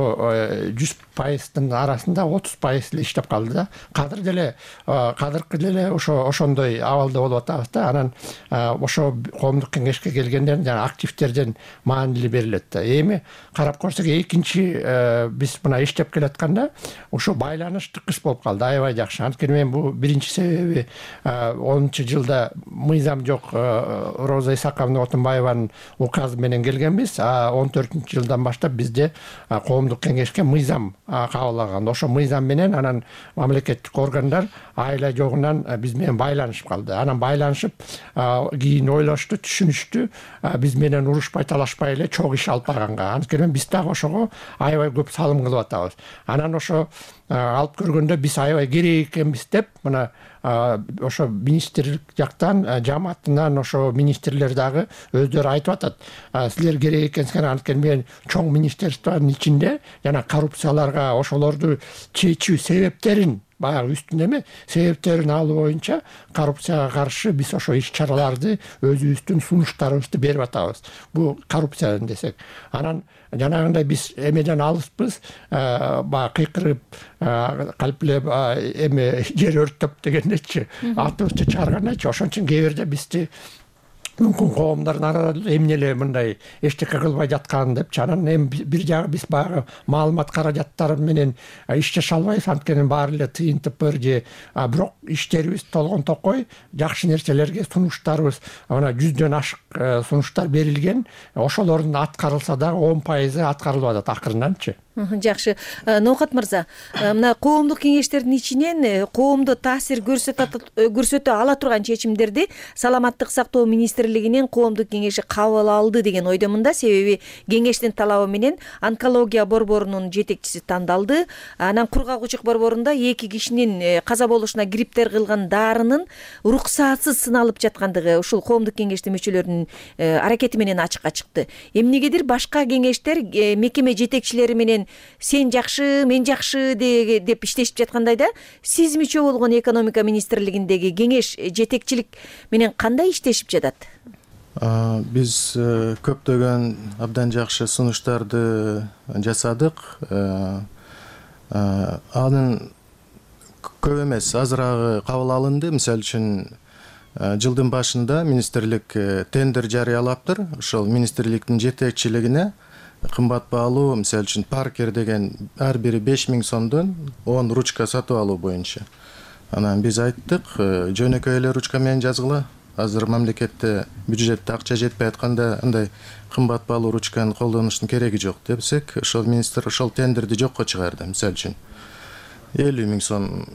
жүз пайыздын арасында отуз пайыз эле иштеп калды да. Кадыр деле кадыркы деле ошо ошондой абалда болуп атабыз да. Анан ошо коомдук кеңешке келгендер жана активдерден маанилүү эле берилет да. Эми карап көрсөк экинчи биз мына иштеп келатканда ошо байланыш тыкыш болуп калды, аябай жакшы. Анткени мен бул биринчи себеби онунчу жылда мыйзам жок, Роза Исаковна Отунбаеванын указы менен келгенбиз, а он төртүнчү жылдан баштап бизде коомдук кеңешке мыйзам кабыл алган. Ошо мыйзам менен анан мамлекеттик органдар айла жогунан биз менен байланышып калды. Анан байланышып кийин ойлошту, түшүнүштү, биз менен урушпай талашпай эле чогуу иш алып барганга. Анткени биз дагы ошого аябай көп салым кылып атабыз. Анан ошо алып көргөндө биз аябай керек экенбиз деп мына ошо министрлик жактан, жамаатынан ошо министрлер дагы өздөрү айтып атат. Силер керек экенсиңер, анткени мен чоң министрликтин ичинде жана коррупцияларга ошолорду чечүү себептерин баягы үстүнө эме себептерин алуу боюнча коррупцияга каршы биз ошо иш чараларды өзүбүздүн сунуштарыбызды берип атабыз. Бул коррупция десек. Анан жанагындай биз эмеден алыспыз, баягы кыйкырып, калплеп эме жер өрттөп дегендечи, атыбызды чыгаргандачы. Ошон үчүн кээ бирде бизди мүмкүн коомдордун арасында эмне эле мындай эчтеке кылбай жаткан депчи. Анан эми бир жагы биз баягы маалымат каражаттары менен иш жаша албайбыз, анткени баары эле тыйынтып бер же, бирок иштерибиз толгон токой, жакшы нерселерге сунуштарыбыз мына жүздөн ашык сунуштар берилген. Ошолордун аткарылса дагы он пайызы аткарылып атат акырынданчы. Жакшы. Ноокат мырза, мына коомдук кеңештердин ичинен коомдо таасир көрсөтө ала турган чечимдерди саламаттык сактоо министрлигинин коомдук кеңеши кабыл алды деген ойдомун да. Себеби кеңештин талабы менен онкология борборунун жетекчиси тандалды. Анан кургак-учук борборунда эки кишинин каза болушуна кириптер кылган дарынын уруксатсыз сыналып жаткандыгы ушул коомдук кеңештин мүчөлөрүнүн аракети менен ачыкка чыкты. Эмнегедир башка кеңештер мекеме жетекчилери менен сен жакшы, мен жакшы деп иштешип жаткандай да. Сиз мүчө болгон экономика министрлигиндеги кеңеш жетекчилик менен кандай иштешип жатат? Биз көптөгөн абдан жакшы сунуштарды жасадык. Анын көп эмес, азыраагы кабыл алынды. Мисалы үчүн жылдын башында министрлик тендер жарыялаптыр. Ошол министрликтин жетекчилигине кымбат баалуу, мисалы үчүн Паркер деген ар бири беш миң сомдон он ручка сатып алуу боюнча. Анан биз айттык, жөнөкөй эле ручка менен жазгыла. Азыр мамлекетте бюджетте акча жетпей атканда андай кымбат баалуу ручканы колдонуштун кереги жок депсек, ошол министр ошол тендерди жокко чыгарды. Мисалы үчүн элүү миң сом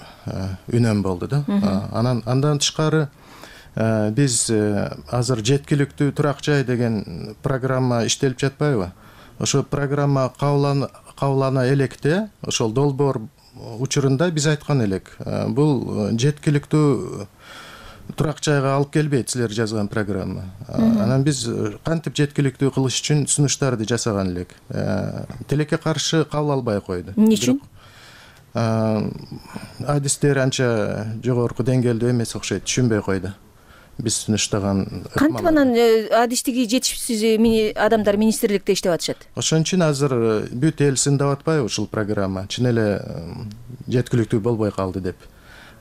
үнөм болду да. Анан андан тышкары биз азыр жеткиликтүү турак жай деген программа иштелип жатпайбы? Ошол программа кабылана электе, ошол долбоор учурунда биз айткан элек, бул жеткиликтүү турак жайга алып келбейт силер жазган программа. Анан биз кантип жеткиликтүү кылыш үчүн сунуштарды жасаган элек. Тилекке каршы кабыл албай койду. Эмне үчүн? Адистер анча жогорку деңгээлде эмес окшойт, түшүнбөй койду. Биз сунуштаган кантип анан адистиги жетишсиз адамдар министрликте иштеп атышат? Ошон үчүн азыр бүт эл сындап атпайбы ушул программа? Чын эле жеткиликтүү болбой калды деп.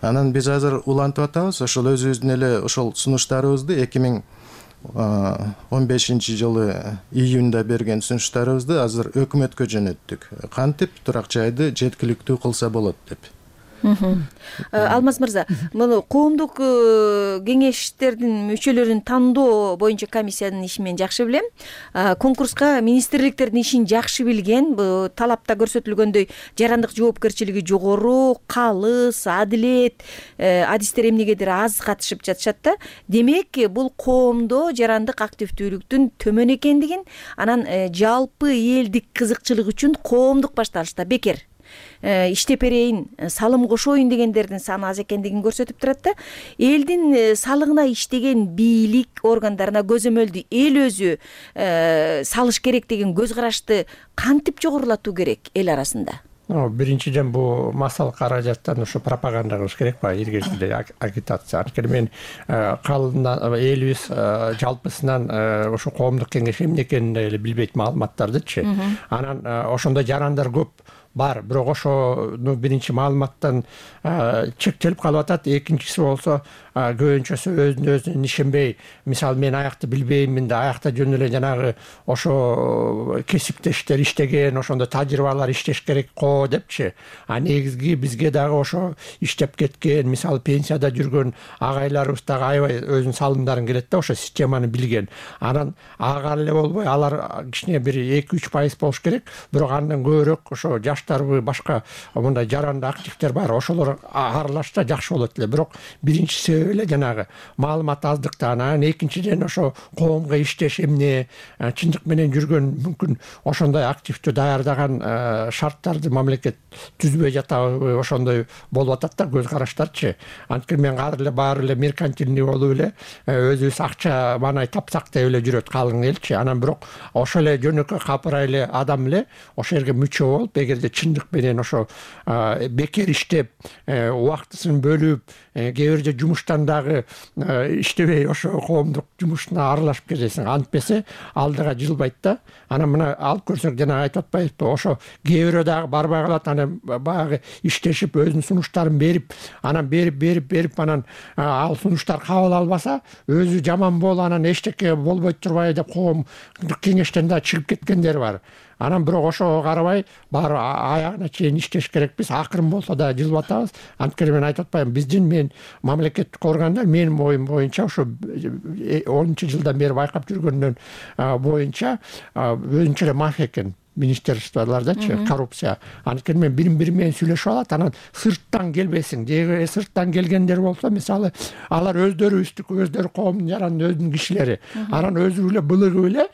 Анан биз азыр улантып атабыз, ошол өзүбүздүн эле ошол сунуштарыбызды эки миң он бешинчи жылы июнда берген сунуштарыбызды азыр өкмөткө жөнөттүк. Кантип турак жайды жеткиликтүү кылса болот деп. Алмаз мырза, муну коомдук кеңештердин мүчөлөрүн тандоо боюнча комиссиянын ишин мен жакшы билем. Конкурска министрликтердин ишин жакшы билген, талапта көрсөтүлгөндөй жарандык жоопкерчилиги жогору, калыс, адилет, адистер эмнегедир аз катышып жатышат да. Демек, бул коомдо жарандык активдүүлүктүн төмөн экендигин, анан жалпы элдик кызыкчылык үчүн коомдук башталышта бекер иштеп берейин, салым кошоюн дегендердин саны аз экендигин көрсөтүп турат да. Элдин салыгына иштеген бийлик органдарына көзөмөлдү эл өзү салыш керек деген көз карашты кантип жогорулатуу керек эл арасында? Биринчиден бул массалык каражаттан ошо пропаганда кылыш керек ба, иргечилде агитация. Анткени мен калымдан элибиз жалпысынан ошо коомдук кеңеш эмне экенин эле билбейт маалыматтардычы. Анан ошондо жарандар көп бар, бирок ошону биринчи маалыматтан чектелип калып атат. Экинчиси болсо көбүнчөсү өзүнө өзү ишенбей, мисалы мен аякты билбеймин да, аякта жөн эле жанагы ошо кесиптештер иштеген, ошондо тажрыйбалар иштеш керек го депчи. А негизги бизге дагы ошо иштеп кеткен, мисалы пенсияда жүргөн агайларыбыз дагы аябай өзүнүн салымдарын келет да, ошо системаны билген. Анан ага эле болбой, алар кичине бир эки үч пайыз болуш керек, бирок андан көбүрөөк ошо жаштарбы, башка мындай жаранды активдер бар, ошолор аралашса жакшы болот эле. Бирок биринчи себеп эле жанагы маалымат аздыктан, анан экинчиден ошо коомго иштеш эмне, чындык менен жүргөн, мүмкүн ошондой активдүү даярдаган шарттарды мамлекет түзбөй жатабы, ошондой болуп атат да көз караштарчы. Анткени мен азыр эле баары эле меркантилный болуп эле өзүбүз акча маанай тапсак деп эле жүрөт калың элчи. Анан бирок ошо эле жөнөкөй капырай эле адам эле ошол жерге мүчө болуп, эгерде чындык менен ошо бекер иштеп, убактысын бөлүп, кээ бирде жумуштан дагы иштебей ошо коомдук жумушуна аралашып кетесиң, антпесе алдыга жылбайт да. Анан мына алып көрсөк, жана айтып атпайбызбы, ошо кээ бирөө дагы барбай калат, анан баягы иштешип өзүнүн сунуштарын берип, анан берип берип берип анан ал сунуштар кабыл албаса, өзү жаман болуп, анан эчтеке болбой турбай деп коомдук кеңештен да чыгып кеткендер бар. Анан бирок ошого карабай баары аягына чейин иштеш керекпиз, акырын болсо да жылып атабыз. Анткени мен айтып атпаймынбы, биздин мен мамлекеттик органдар менин оюм боюнча ошо онунчу жылдан бери байкап жүргөндөн боюнча өзүнчө эле мафия экен. Министерстволардачы коррупция. Анткени мен бирин бири менен сүйлөшүп алат, анан сырттан келбесиң. Деги сырттан келгендер болсо, мисалы, алар өздөрү үстүк, өздөрү коомдун жарандын өзүнүн кишилери. Анан өзү эле былыгып эле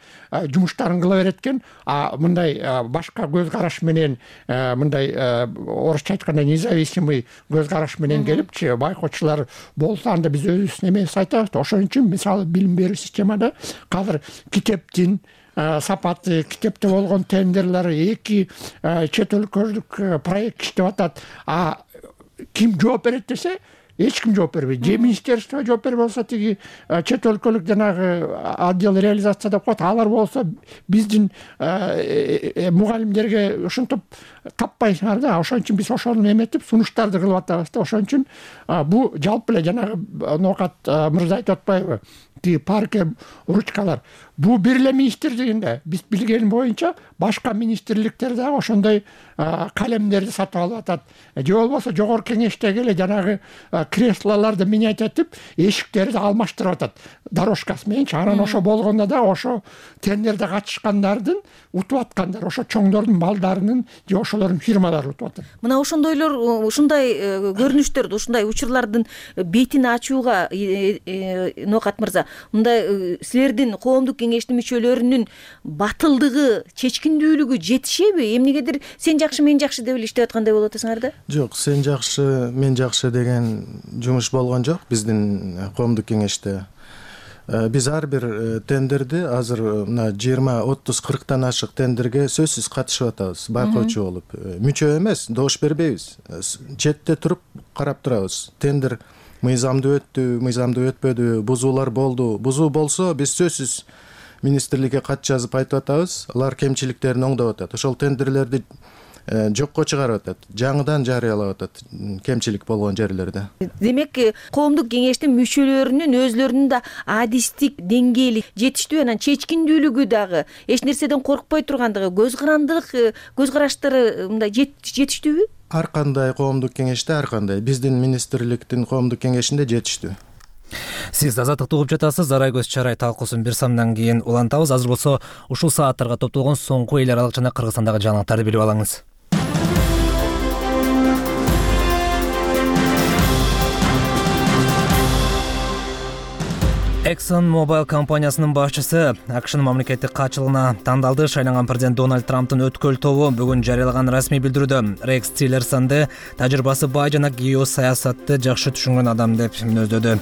жумуштарын кыла берет экен. А мындай башка көз караш менен, мындай орусча айтканда независимый көз караш менен келипчи, байкоочулар болсо, анда биз өзүбүздүн эмебиз айтабыз. Ошон үчүн мисалы билим берүү системада азыр китептин сапаты, китепте болгон тендерлер, эки чет өлкөлүк проект иштеп атат. А ким жооп берет десе, эч ким жооп бербейт. Же министерство жооп бербей болсо, тиги чет өлкөлүк жанагы отдел реализация деп коет, алар болсо биздин мугалимдерге ушинтип таппайсыңар да. Ошон үчүн биз ошону эметип сунуштарды кылып атабыз да. Ошон үчүн бу жалпы эле жанагы Ноокат мырза айтып атпайбы, тиги парке ручкалар. Бул бир эле министрлигинде, биз билген боюнча башка министрликтер дагы ошондой калемдерди сатып алып атат. Же болбосо жогорку кеңештеги эле жанагы креслолорду менять этип, эшиктерди алмаштырып атат дорожкасы мененчи. Анан ошо болгондо да ошо тендерде катышкандардын утуп аткандар, ошо чоңдордун балдарынын же ошолордун фирмалары утуп атат. Мына ошондойлор, ушундай көрүнүштөрдү, ушундай учурлардын бетин ачууга Ноокат мырза, мындай силердин коомдук кеңештин мүчөлөрүнүн батылдыгы, чечкиндүүлүгү жетишеби? Эмнегедир сен жакшы, мен жакшы деп эле иштеп аткандай болуп атасыңар да? Жок, сен жакшы, мен жакшы деген жумуш болгон жок биздин коомдук кеңеште. Биз ар бир тендерди азыр мына жыйырма, отуз, кырктан ашык тендерге сөзсүз катышып атабыз, байкоочу болуп. Мүчө эмес, добуш бербейбиз. Четте туруп карап турабыз. Тендер мыйзамдуу өттү, мыйзамдуу өтпөдү, бузуулар болду. Бузуу болсо, биз сөзсүз министрликке кат жазып айтып атабыз. Алар кемчиликтерин оңдоп атат. Ошол тендерлерди жокко чыгарып атат, жаңыдан жарыялап атат кемчилик болгон жерлерде. Демек, коомдук кеңештин мүчөлөрүнүн өзлөрүнүн да адистик деңгээли жетиштүү, анан чечкиндүүлүгү дагы, эч нерседен коркпой тургандыгы, көз карандылык, көз караштары мындай жетиштүүбү? Ар кандай коомдук кеңеште ар кандай, биздин министрликтин коомдук кеңешинде жетиштүү. Сиз Азаттыкты угуп жатасыз. Арай көз чарай талкуусун бир самдан кийин улантабыз. Азыр болсо ушул сааттарга топтолгон соңку эл аралык жана Кыргызстандагы жаңылыктарды билип алыңыз. ExxonMobil компаниясынын башчысы АКШнын мамлекеттик катчылыгына тандалды. Шайланган президент Дональд Трамптын өткөл тобу бүгүн жарыялаган расмий билдирүүдө Рекс Тиллерсонду тажрыйбасы бай жана геосаясатты жакшы түшүнгөн адам деп мүнөздөдү.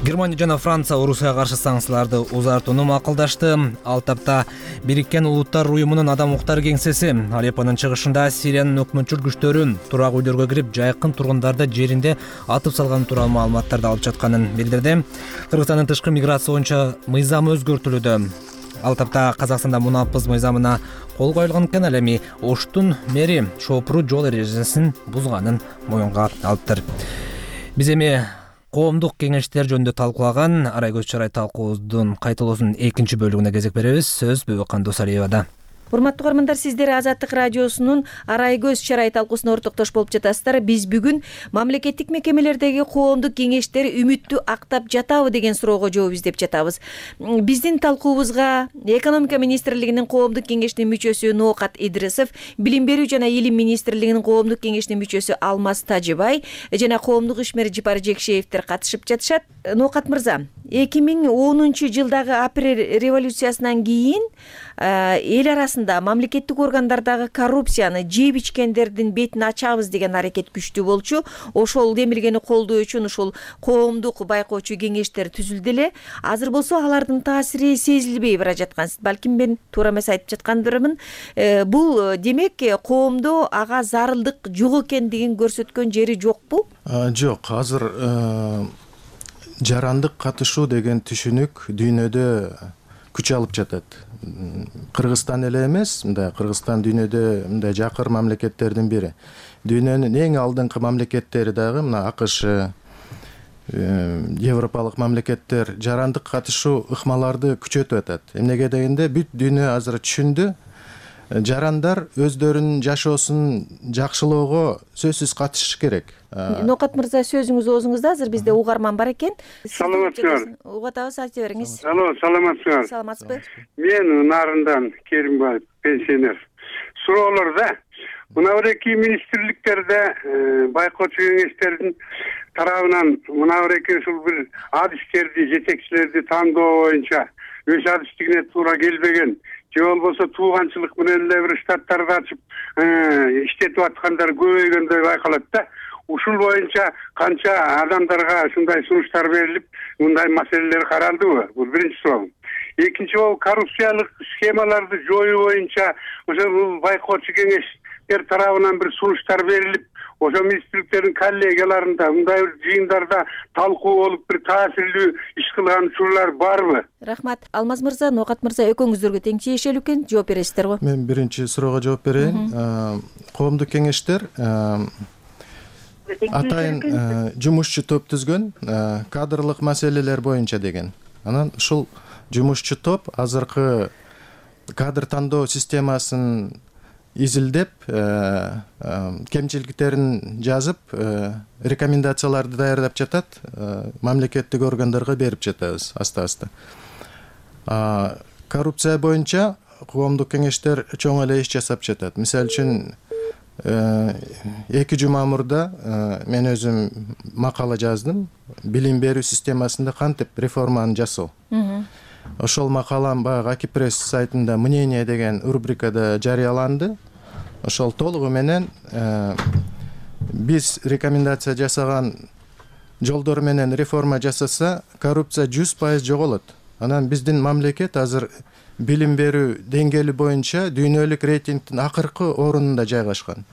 Германия жана Франция Орусияга каршы санкцияларды узартууну макулдашты. Ал тапта Бириккен Улуттар уюмунун адам укуктары кеңсеси Алеппонун чыгышында Сириянын өкмөтчүл күчтөрү турак үйлөргө кирип, жайкын тургундарды жеринде атып салганы тууралуу маалыматтарды алып жатканын билдирди. Кыргызстандын тышкы миграция боюнча мыйзамы өзгөртүлүүдө. Ал тапта Казакстанда мунапыз мыйзамына кол коюлган экен, ал эми Оштун мэри шопуру жол эрежесин бузганын моюнга алыптыр. Биз эми коомдук кеңештер жөнүндө талкуулаган Арай көз чарай талкуубуздун кайталоосунун экинчи бөлүгүнө кезек беребиз. Сөз Бөбөкан Досалиевада. Урматтуу угармандар, сиздер Азаттык радиосунун Арай көз чарай талкуусуна ортоктош болуп жатасыздар. Биз бүгүн мамлекеттик мекемелердеги коомдук кеңештер үмүттү актап жатабы деген суроого жооп издеп жатабыз. Биздин талкуубузга Экономика министрлигинин коомдук кеңешинин мүчөсү Ноокат Идрисов, Билим берүү жана илим министрлигинин коомдук кеңешинин мүчөсү Алмаз Тажыбай жана коомдук ишмер Жипар Жекшеевдер катышып жатышат. Ноокат мырза, эки миң онунчу жылдагы апрель революциясынан кийин эл арасында мамлекеттик органдардагы коррупцияны жеп ичкендердин бетин ачабыз деген аракет күчтүү болчу. Ошол демилгени колдоо үчүн ушул коомдук байкоочу кеңештер түзүлдү эле. Азыр болсо алардын таасири сезилбей бара жаткан. Балким мен туура эмес айтып жаткандырмын. Бул демек коомдо ага зарылдык жок экендигин көрсөткөн жери жокпу? Жок, азыр жарандык катышуу деген түшүнүк дүйнөдө күч алып жатат. Кыргызстан эле эмес, мындай Кыргызстан дүйнөдө мындай жакыр мамлекеттердин бири. Дүйнөнүн эң алдыңкы мамлекеттери дагы мына АКШ, европалык мамлекеттер жарандык катышуу ыкмаларды күчөтүп атат. Эмнеге дегенде бүт дүйнө азыр түшүндү. Жарандар өздөрүнүн жашоосун жакшылоого сөзсүз катышыш керек. Ноокат мырза, сөзүңүз оозуңузда, азыр бизде угарман бар экен. Саламатсызбы? Угатабыз, айта бериңиз. Алло, саламатсызбы? Саламатсызбы? Мен Нарындан Керимбаев, пенсионер. Суроолордо мына бир эки министрликтерде байкоочу кеңештердин тарабынан мына бир эки ушул бир адистерди, жетекчилерди тандоо боюнча өз адистигине туура келбеген, же болбосо тууганчылык менен эле бир штаттарды ачып иштетип аткандар көбөйгөндөй байкалат да. Ушул боюнча канча адамдарга ушундай сунуштар берилип, мындай маселелер каралдыбы? Бул биринчи суроом. Экинчи бол коррупциялык схемаларды жоюу боюнча ошол байкоочу кеңештер тарабынан бир сунуштар берилип, ошо министрликтердин коллегияларында мындай бир жыйындарда талкуу болуп бир таасирлүү иш кылган учурлар барбы? Рахмат. Алмаз мырза, Ноокат мырза, экөөңүздөргө тең тиешелүү экен, жооп бересиздер го. Мен биринчи суроого жооп берейин. Коомдук кеңештер атайын жумушчу топ түзгөн, кадрлык маселелер боюнча деген. Анан ушул жумушчу топ азыркы кадр тандоо системасын изилдеп, кемчиликтерин жазып, рекомендацияларды даярдап жатат, мамлекеттик органдарга берип жатабыз аста-аста. Коррупция боюнча коомдук кеңештер чоң эле иш жасап жатат. Мисалы үчүн эки жума мурда мен өзүм макала жаздым. Билим берүү системасында кантип реформаны жасоо. Ошол макалам баягы Акипресс сайтында мнение деген рубрикада жарыяланды. Ошол толугу менен биз рекомендация жасаган жолдор менен реформа жасаса, коррупция жүз пайыз жоголот. Анан биздин мамлекет азыр билим берүү деңгээли боюнча дүйнөлүк рейтингдин акыркы орунунда жайгашкан.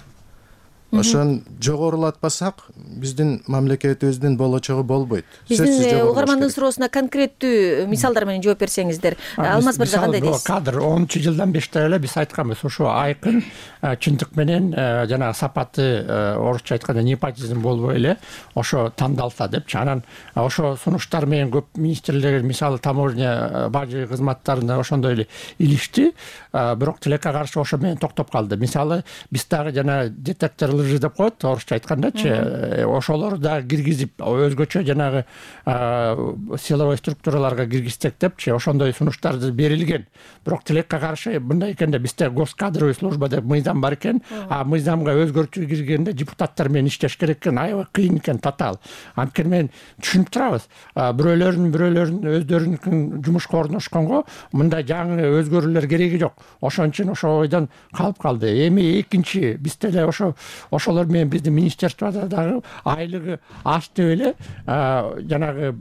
Ошон жогорулатпасак, биздин мамлекетибиздин болочогу болбойт. Биздин угармандын суроосуна конкреттүү мисалдар менен жооп берсеңиздер. Алмаз мырза, кандай дейсиз? Кадр онунчу жылдан бештеп эле биз айтканбыз, ошо айкын чындык менен жана сапаты, орусча айтканда непотизм болбой эле ошо тандалса депчи. Анан ошо сунуштар менен көп министрлер, мисалы таможня бажы кызматтарында ошондой эле илишти, бирок тилекке каршы ошо менен токтоп калды. Мисалы биз дагы жана детектор лжи деп коет, орусча айткандачы, ошолор да киргизип, өзгөчө жанагы силовой структураларга киргизсек депчи, ошондой сунуштар берилген. Бирок тилекке каршы мындай экенде бизде госкадровый служба деп мыйзам бар экен, а мыйзамга өзгөртүү киргенде депутаттар менен иштеш керек экен, аябай кыйын экен, татаал. Анткени мен түшүнүп турабыз. Бирөөлөрүн бирөөлөрүн өздөрүнүн жумушка орношконго мындай жаңы өзгөрүүлөр кереги жок. Ошон үчүн ошо ойдон калып калды. Эми экинчи бизде эле ошо ошолор менен биздин министрликте дагы айлыгы аз деп эле жанагы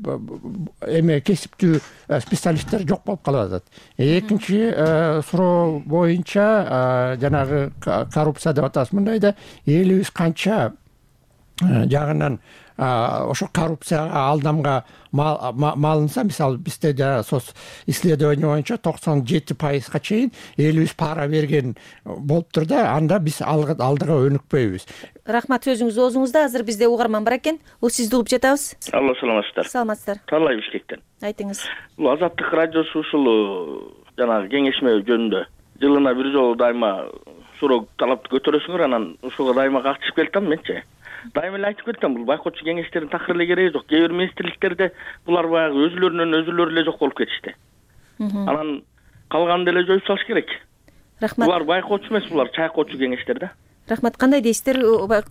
эме кесиптүү специалисттер жок болуп калып атат. Экинчи суроо боюнча жанагы коррупция деп атабыз, мындайда элибиз канча жагынан ошо коррупцияга алдамга малынса, мисалы бизде сос исследование боюнча токсон жети пайызга чейин элибиз пара берген болуптур да, анда биз алдыга өнүкпөйбүз. Рахмат, сөзүңүз оозуңузда. Азыр бизде угарман бар экен. Бул сизди угуп жатабыз. Алло, саламатсыздар. Саламатсыздар. Талай Бишкектен. Айтыңыз. Бул Азаттык радиосу ушул жанагы кеңешме жөнүндө жылына бир жолу дайыма суроо талапты көтөрөсүңөр, анан ушуга дайыма катышып келатам менчи. Дайыма эле айтып кетем, бул байкоочу кеңештердин такыр эле кереги жок. Кээ бир министрликтерде булар баягы өзүлөрүнөн өзүлөрү эле жок болуп кетишти. Анан калганды эле жоюп салыш керек. Рахмат. Булар байкоочу эмес, булар чайкоочу кеңештер да. Рахмат. Кандай дейсиздер,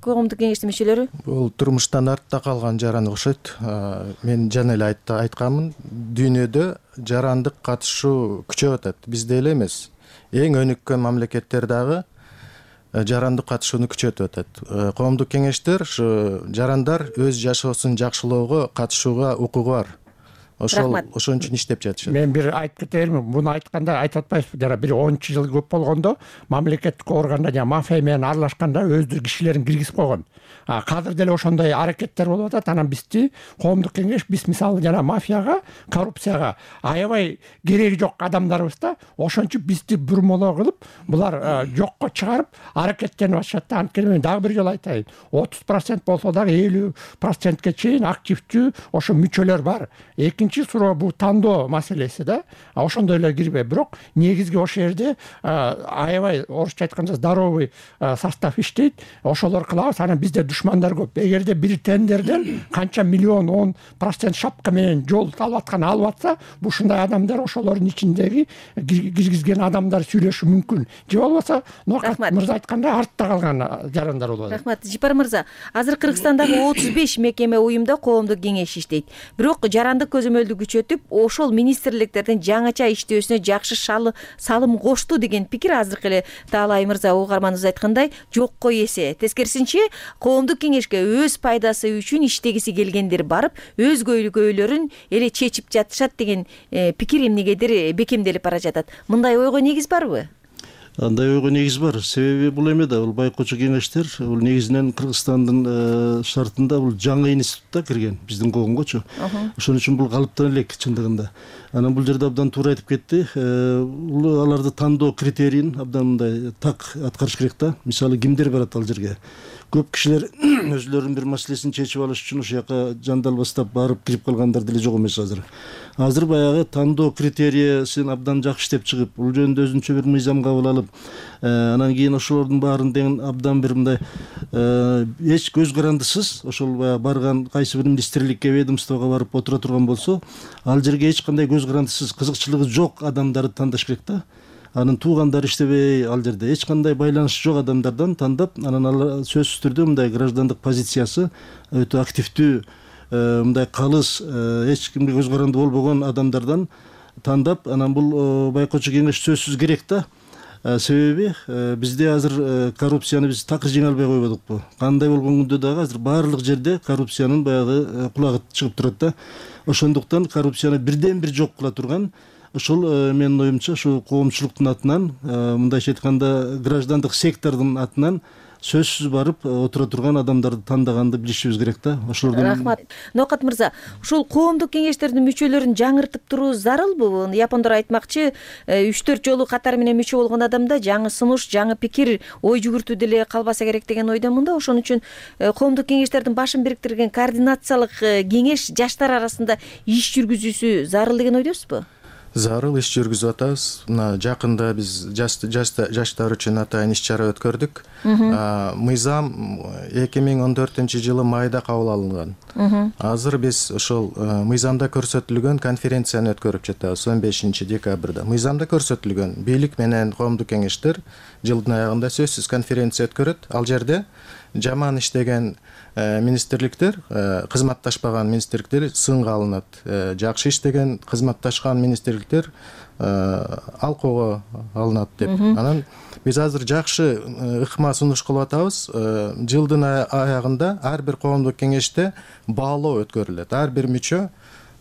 коомдук кеңештин мүчөлөрү? Бул турмуштан артта калган жаран окшойт. Мен жана эле айтканмын, дүйнөдө жарандык катышуу күчөп атат. Бизде эле эмес, эң өнүккөн мамлекеттер дагы жарандык катышууну күчөтүп атат. Коомдук кеңештер ушу жарандар өз жашоосун жакшылоого катышууга укугу бар. Ошол ошон үчүн иштеп жатышат. Мен бир айтып кетермин, муну айтканда айтып атпайсызбы, жана бир онунчу жыл көп болгондо мамлекеттик органда жана мафия менен аралашканда өздүк кишилерин киргизип койгон. Азыр деле ошондой аракеттер болуп атат. Анан бизди коомдук кеңеш, биз мисалы жана мафияга, коррупцияга аябай кереги жок адамдарбыз да, ошон үчүн бизди бурмолоо кылып, булар жокко чыгарып аракеттенип атышат да. Анткени мен дагы бир жолу айтайын, отуз процент болсо дагы элүү процентке чейин активдүү ошо мүчөлөр бар. Экинчи суроо бул тандоо маселеси да. Ошондой эле кирбей, бирок негизги ошол жерде аябай орусча айтканда здоровый состав иштейт. Ошолор кылабыз. Анан бизде душмандар көп. Эгерде бир тендерден канча миллион он процент шапка менен жол алып аткан алып атса, бул ушундай адамдар ошолордун ичиндеги киргизген адамдар сүйлөшүшү мүмкүн. Же болбосо Нокат мырза айткандай артта калган жарандар болот. Рахмат. Жипар мырза, азыр Кыргызстандагы отуз беш мекеме уюмда коомдук кеңеш иштейт. Бирок жарандык көзөмөлдү күчөтүп, ошол министрликтердин жаңача иштөөсүнө жакшы салым кошту деген пикир азыркы эле Таалай мырза угарманыбыз айткандай жокко эсе. Тескерисинче, коомдук кеңешке өз пайдасы үчүн иштегиси келгендер барып, өз көйлөрүн эле чечип жатышат деген пикир эмнегедир бекемделип бара жатат. Мындай ойго негиз барбы? Андай ойго негиз бар. Себеби бул эме да, бул байкоочу кеңештер бул негизинен Кыргызстандын шартында бул жаңы институтта кирген, биздин коомгочу. Ошон үчүн бул калыптан элек чындыгында. Анан бул жерде абдан туура айтып кетти. Бул аларды тандоо критерийин абдан мындай так аткарыш керек да. Мисалы кимдер барат ал жерге? Көп кишилер өзүлөрүнүн бир маселесин чечип алыш үчүн ошол жака жандалбастап барып кирип калгандар деле жок эмес азыр. Азыр баягы тандоо критерийсин абдан жакшы иштеп чыгып, бул жөнүндө өзүнчө бир мыйзам кабыл алып, анан кийин ошолордун баарын деген абдан бир мындай эч көз карандысыз ошол баягы барган кайсы бир министрликке, ведомствого барып отура турган болсо, ал жерге эч кандай көз карандысыз, кызыкчылыгы жок адамдарды тандаш керек да. Анын туугандары иштебей, ал жерде эч кандай байланышы жок адамдардан тандап, анан ал сөзсүз түрдө мындай граждандык позициясы өтө активдүү, мындай калыс, эч кимге көз каранды болбогон адамдардан тандап, анан бул байкоочу кеңеш сөзсүз керек да. Себеби бизде азыр коррупцияны биз такыр жеңе албай койбодукпу. Кандай болгон күндө дагы азыр баардык жерде коррупциянын баягы кулагы чыгып турат да. Ошондуктан коррупцияны бирден бир жок кыла турган ошол менин оюмча ушу коомчулуктун атынан, мындайча айтканда граждандык сектордун атынан сөзсүз барып отура турган адамдарды тандаганды билишибиз керек да. Ошолордун Рахмат. Нокат мырза, ушул коомдук кеңештердин мүчөлөрүн жаңыртып туруу зарылбы? Япондор айтмакчы, үч төрт жолу катар менен мүчө болгон адамда жаңы сунуш, жаңы пикир, ой жүгүртүү деле калбаса керек деген ойдомун да. Ошон үчүн коомдук кеңештердин башын бириктирген координациялык кеңеш жаштар арасында иш жүргүзүүсү зарыл деген ойдосузбу? Зарыл иш жүргүзүп атабыз. Мына жакында биз жаштар үчүн атайын иш чара өткөрдүк. Мыйзам эки миң он төртүнчү жылы майда кабыл алынган. Азыр биз ошол мыйзамда көрсөтүлгөн конференцияны өткөрүп жатабыз он бешинчи декабрда. Мыйзамда көрсөтүлгөн бийлик менен коомдук кеңештер жылдын аягында сөзсүз конференция өткөрөт. Ал жерде жаман иштеген министрликтер, кызматташпаган министрликтер сынга алынат. Жакшы иштеген, кызматташкан министрликтер алкоого алынат деп. Анан биз азыр жакшы ыкма сунуш кылып атабыз. Жылдын аягында ар бир коомдук кеңеште баалоо өткөрүлөт. Ар бир мүчө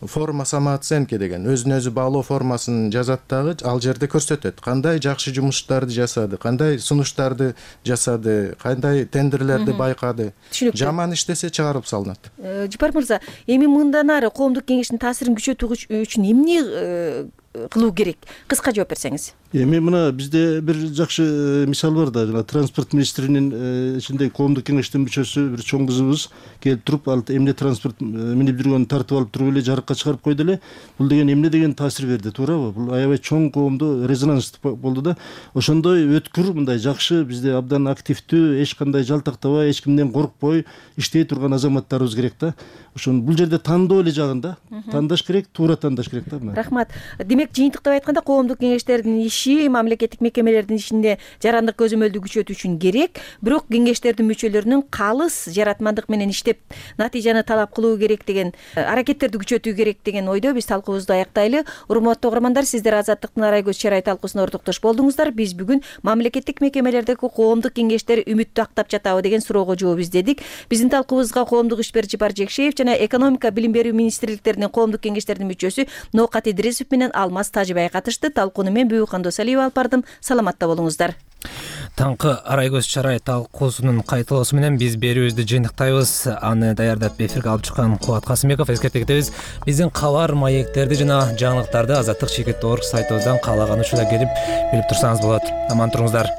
форма самооценки деген өзүн өзү баалоо формасын жазат дагы, ал жерде көрсөтөт кандай жакшы жумуштарды жасады, кандай сунуштарды жасады, кандай тендерлерди байкады. Жаман иштесе чыгарып салынат. Жапар мырза, эми мындан ары коомдук кеңештин таасирин күчөтүү үчүн эмне кылуу керек? Кыска жооп берсеңиз. Эми мына бизде бир жакшы мисал бар да, жана транспорт министринин ичинде коомдук кеңештин мүчөсү бир чоң кызыбыз келип туруп, ал эмне транспорт минип жүргөнүн тартып алып туруп эле жарыкка чыгарып койду эле. Бул деген эмне деген таасир берди, туурабы? Бул аябай чоң коомдо резонанс болду да. Ошондой өткүр, мындай жакшы, бизде абдан активдүү, эч кандай жалтактабай, эч кимден коркпой иштей турган азаматтарыбыз керек да. Ошон бул жерде тандоо эле жагында, тандаш керек, туура тандаш керек да. Рахмат. Демек, жыйынтыктап айтканда, коомдук кеңештердин иши мамлекеттик мекемелердин ичинде жарандык көзөмөлдү күчөтүү үчүн керек, бирок кеңештердин мүчөлөрүнүн калыс жаратмандык менен иштеп натыйжаны талап кылуу керек деген, аракеттерди күчөтүү керек деген ойдо биз талкуубузду аяктайлы. Урматтуу угармандар, сиздер Азаттыктын Арай көз чарай талкуусуна ортоктош болдуңуздар. Биз бүгүн мамлекеттик мекемелердеги коомдук кеңештер үмүттүү актап жатабы деген суроого жооп издедик. Биздин талкуубузга коомдук ишмер Жапар Жекшеев жана экономика, билим берүү министрликтеринин коомдук кеңештеринин мүчөсү Ноокат Идрисов менен Алмаз Тажыбай катышты. Талкууну мен Бүбүкан Досалиева алып бардым. Саламатта болуңуздар. Таңкы Арай көз чарай талкуусунун кайталоосу менен биз берүүбүздү жыйынтыктайбыз. Аны даярдап эфирге алып чыккан Кубат Касымбеков. Эскерте кетебиз, биздин кабар, маектерди жана жаңылыктарды азаттык чекит орг сайтыбыздан каалаган учурда келип билип турсаңыз болот. Аман туруңуздар.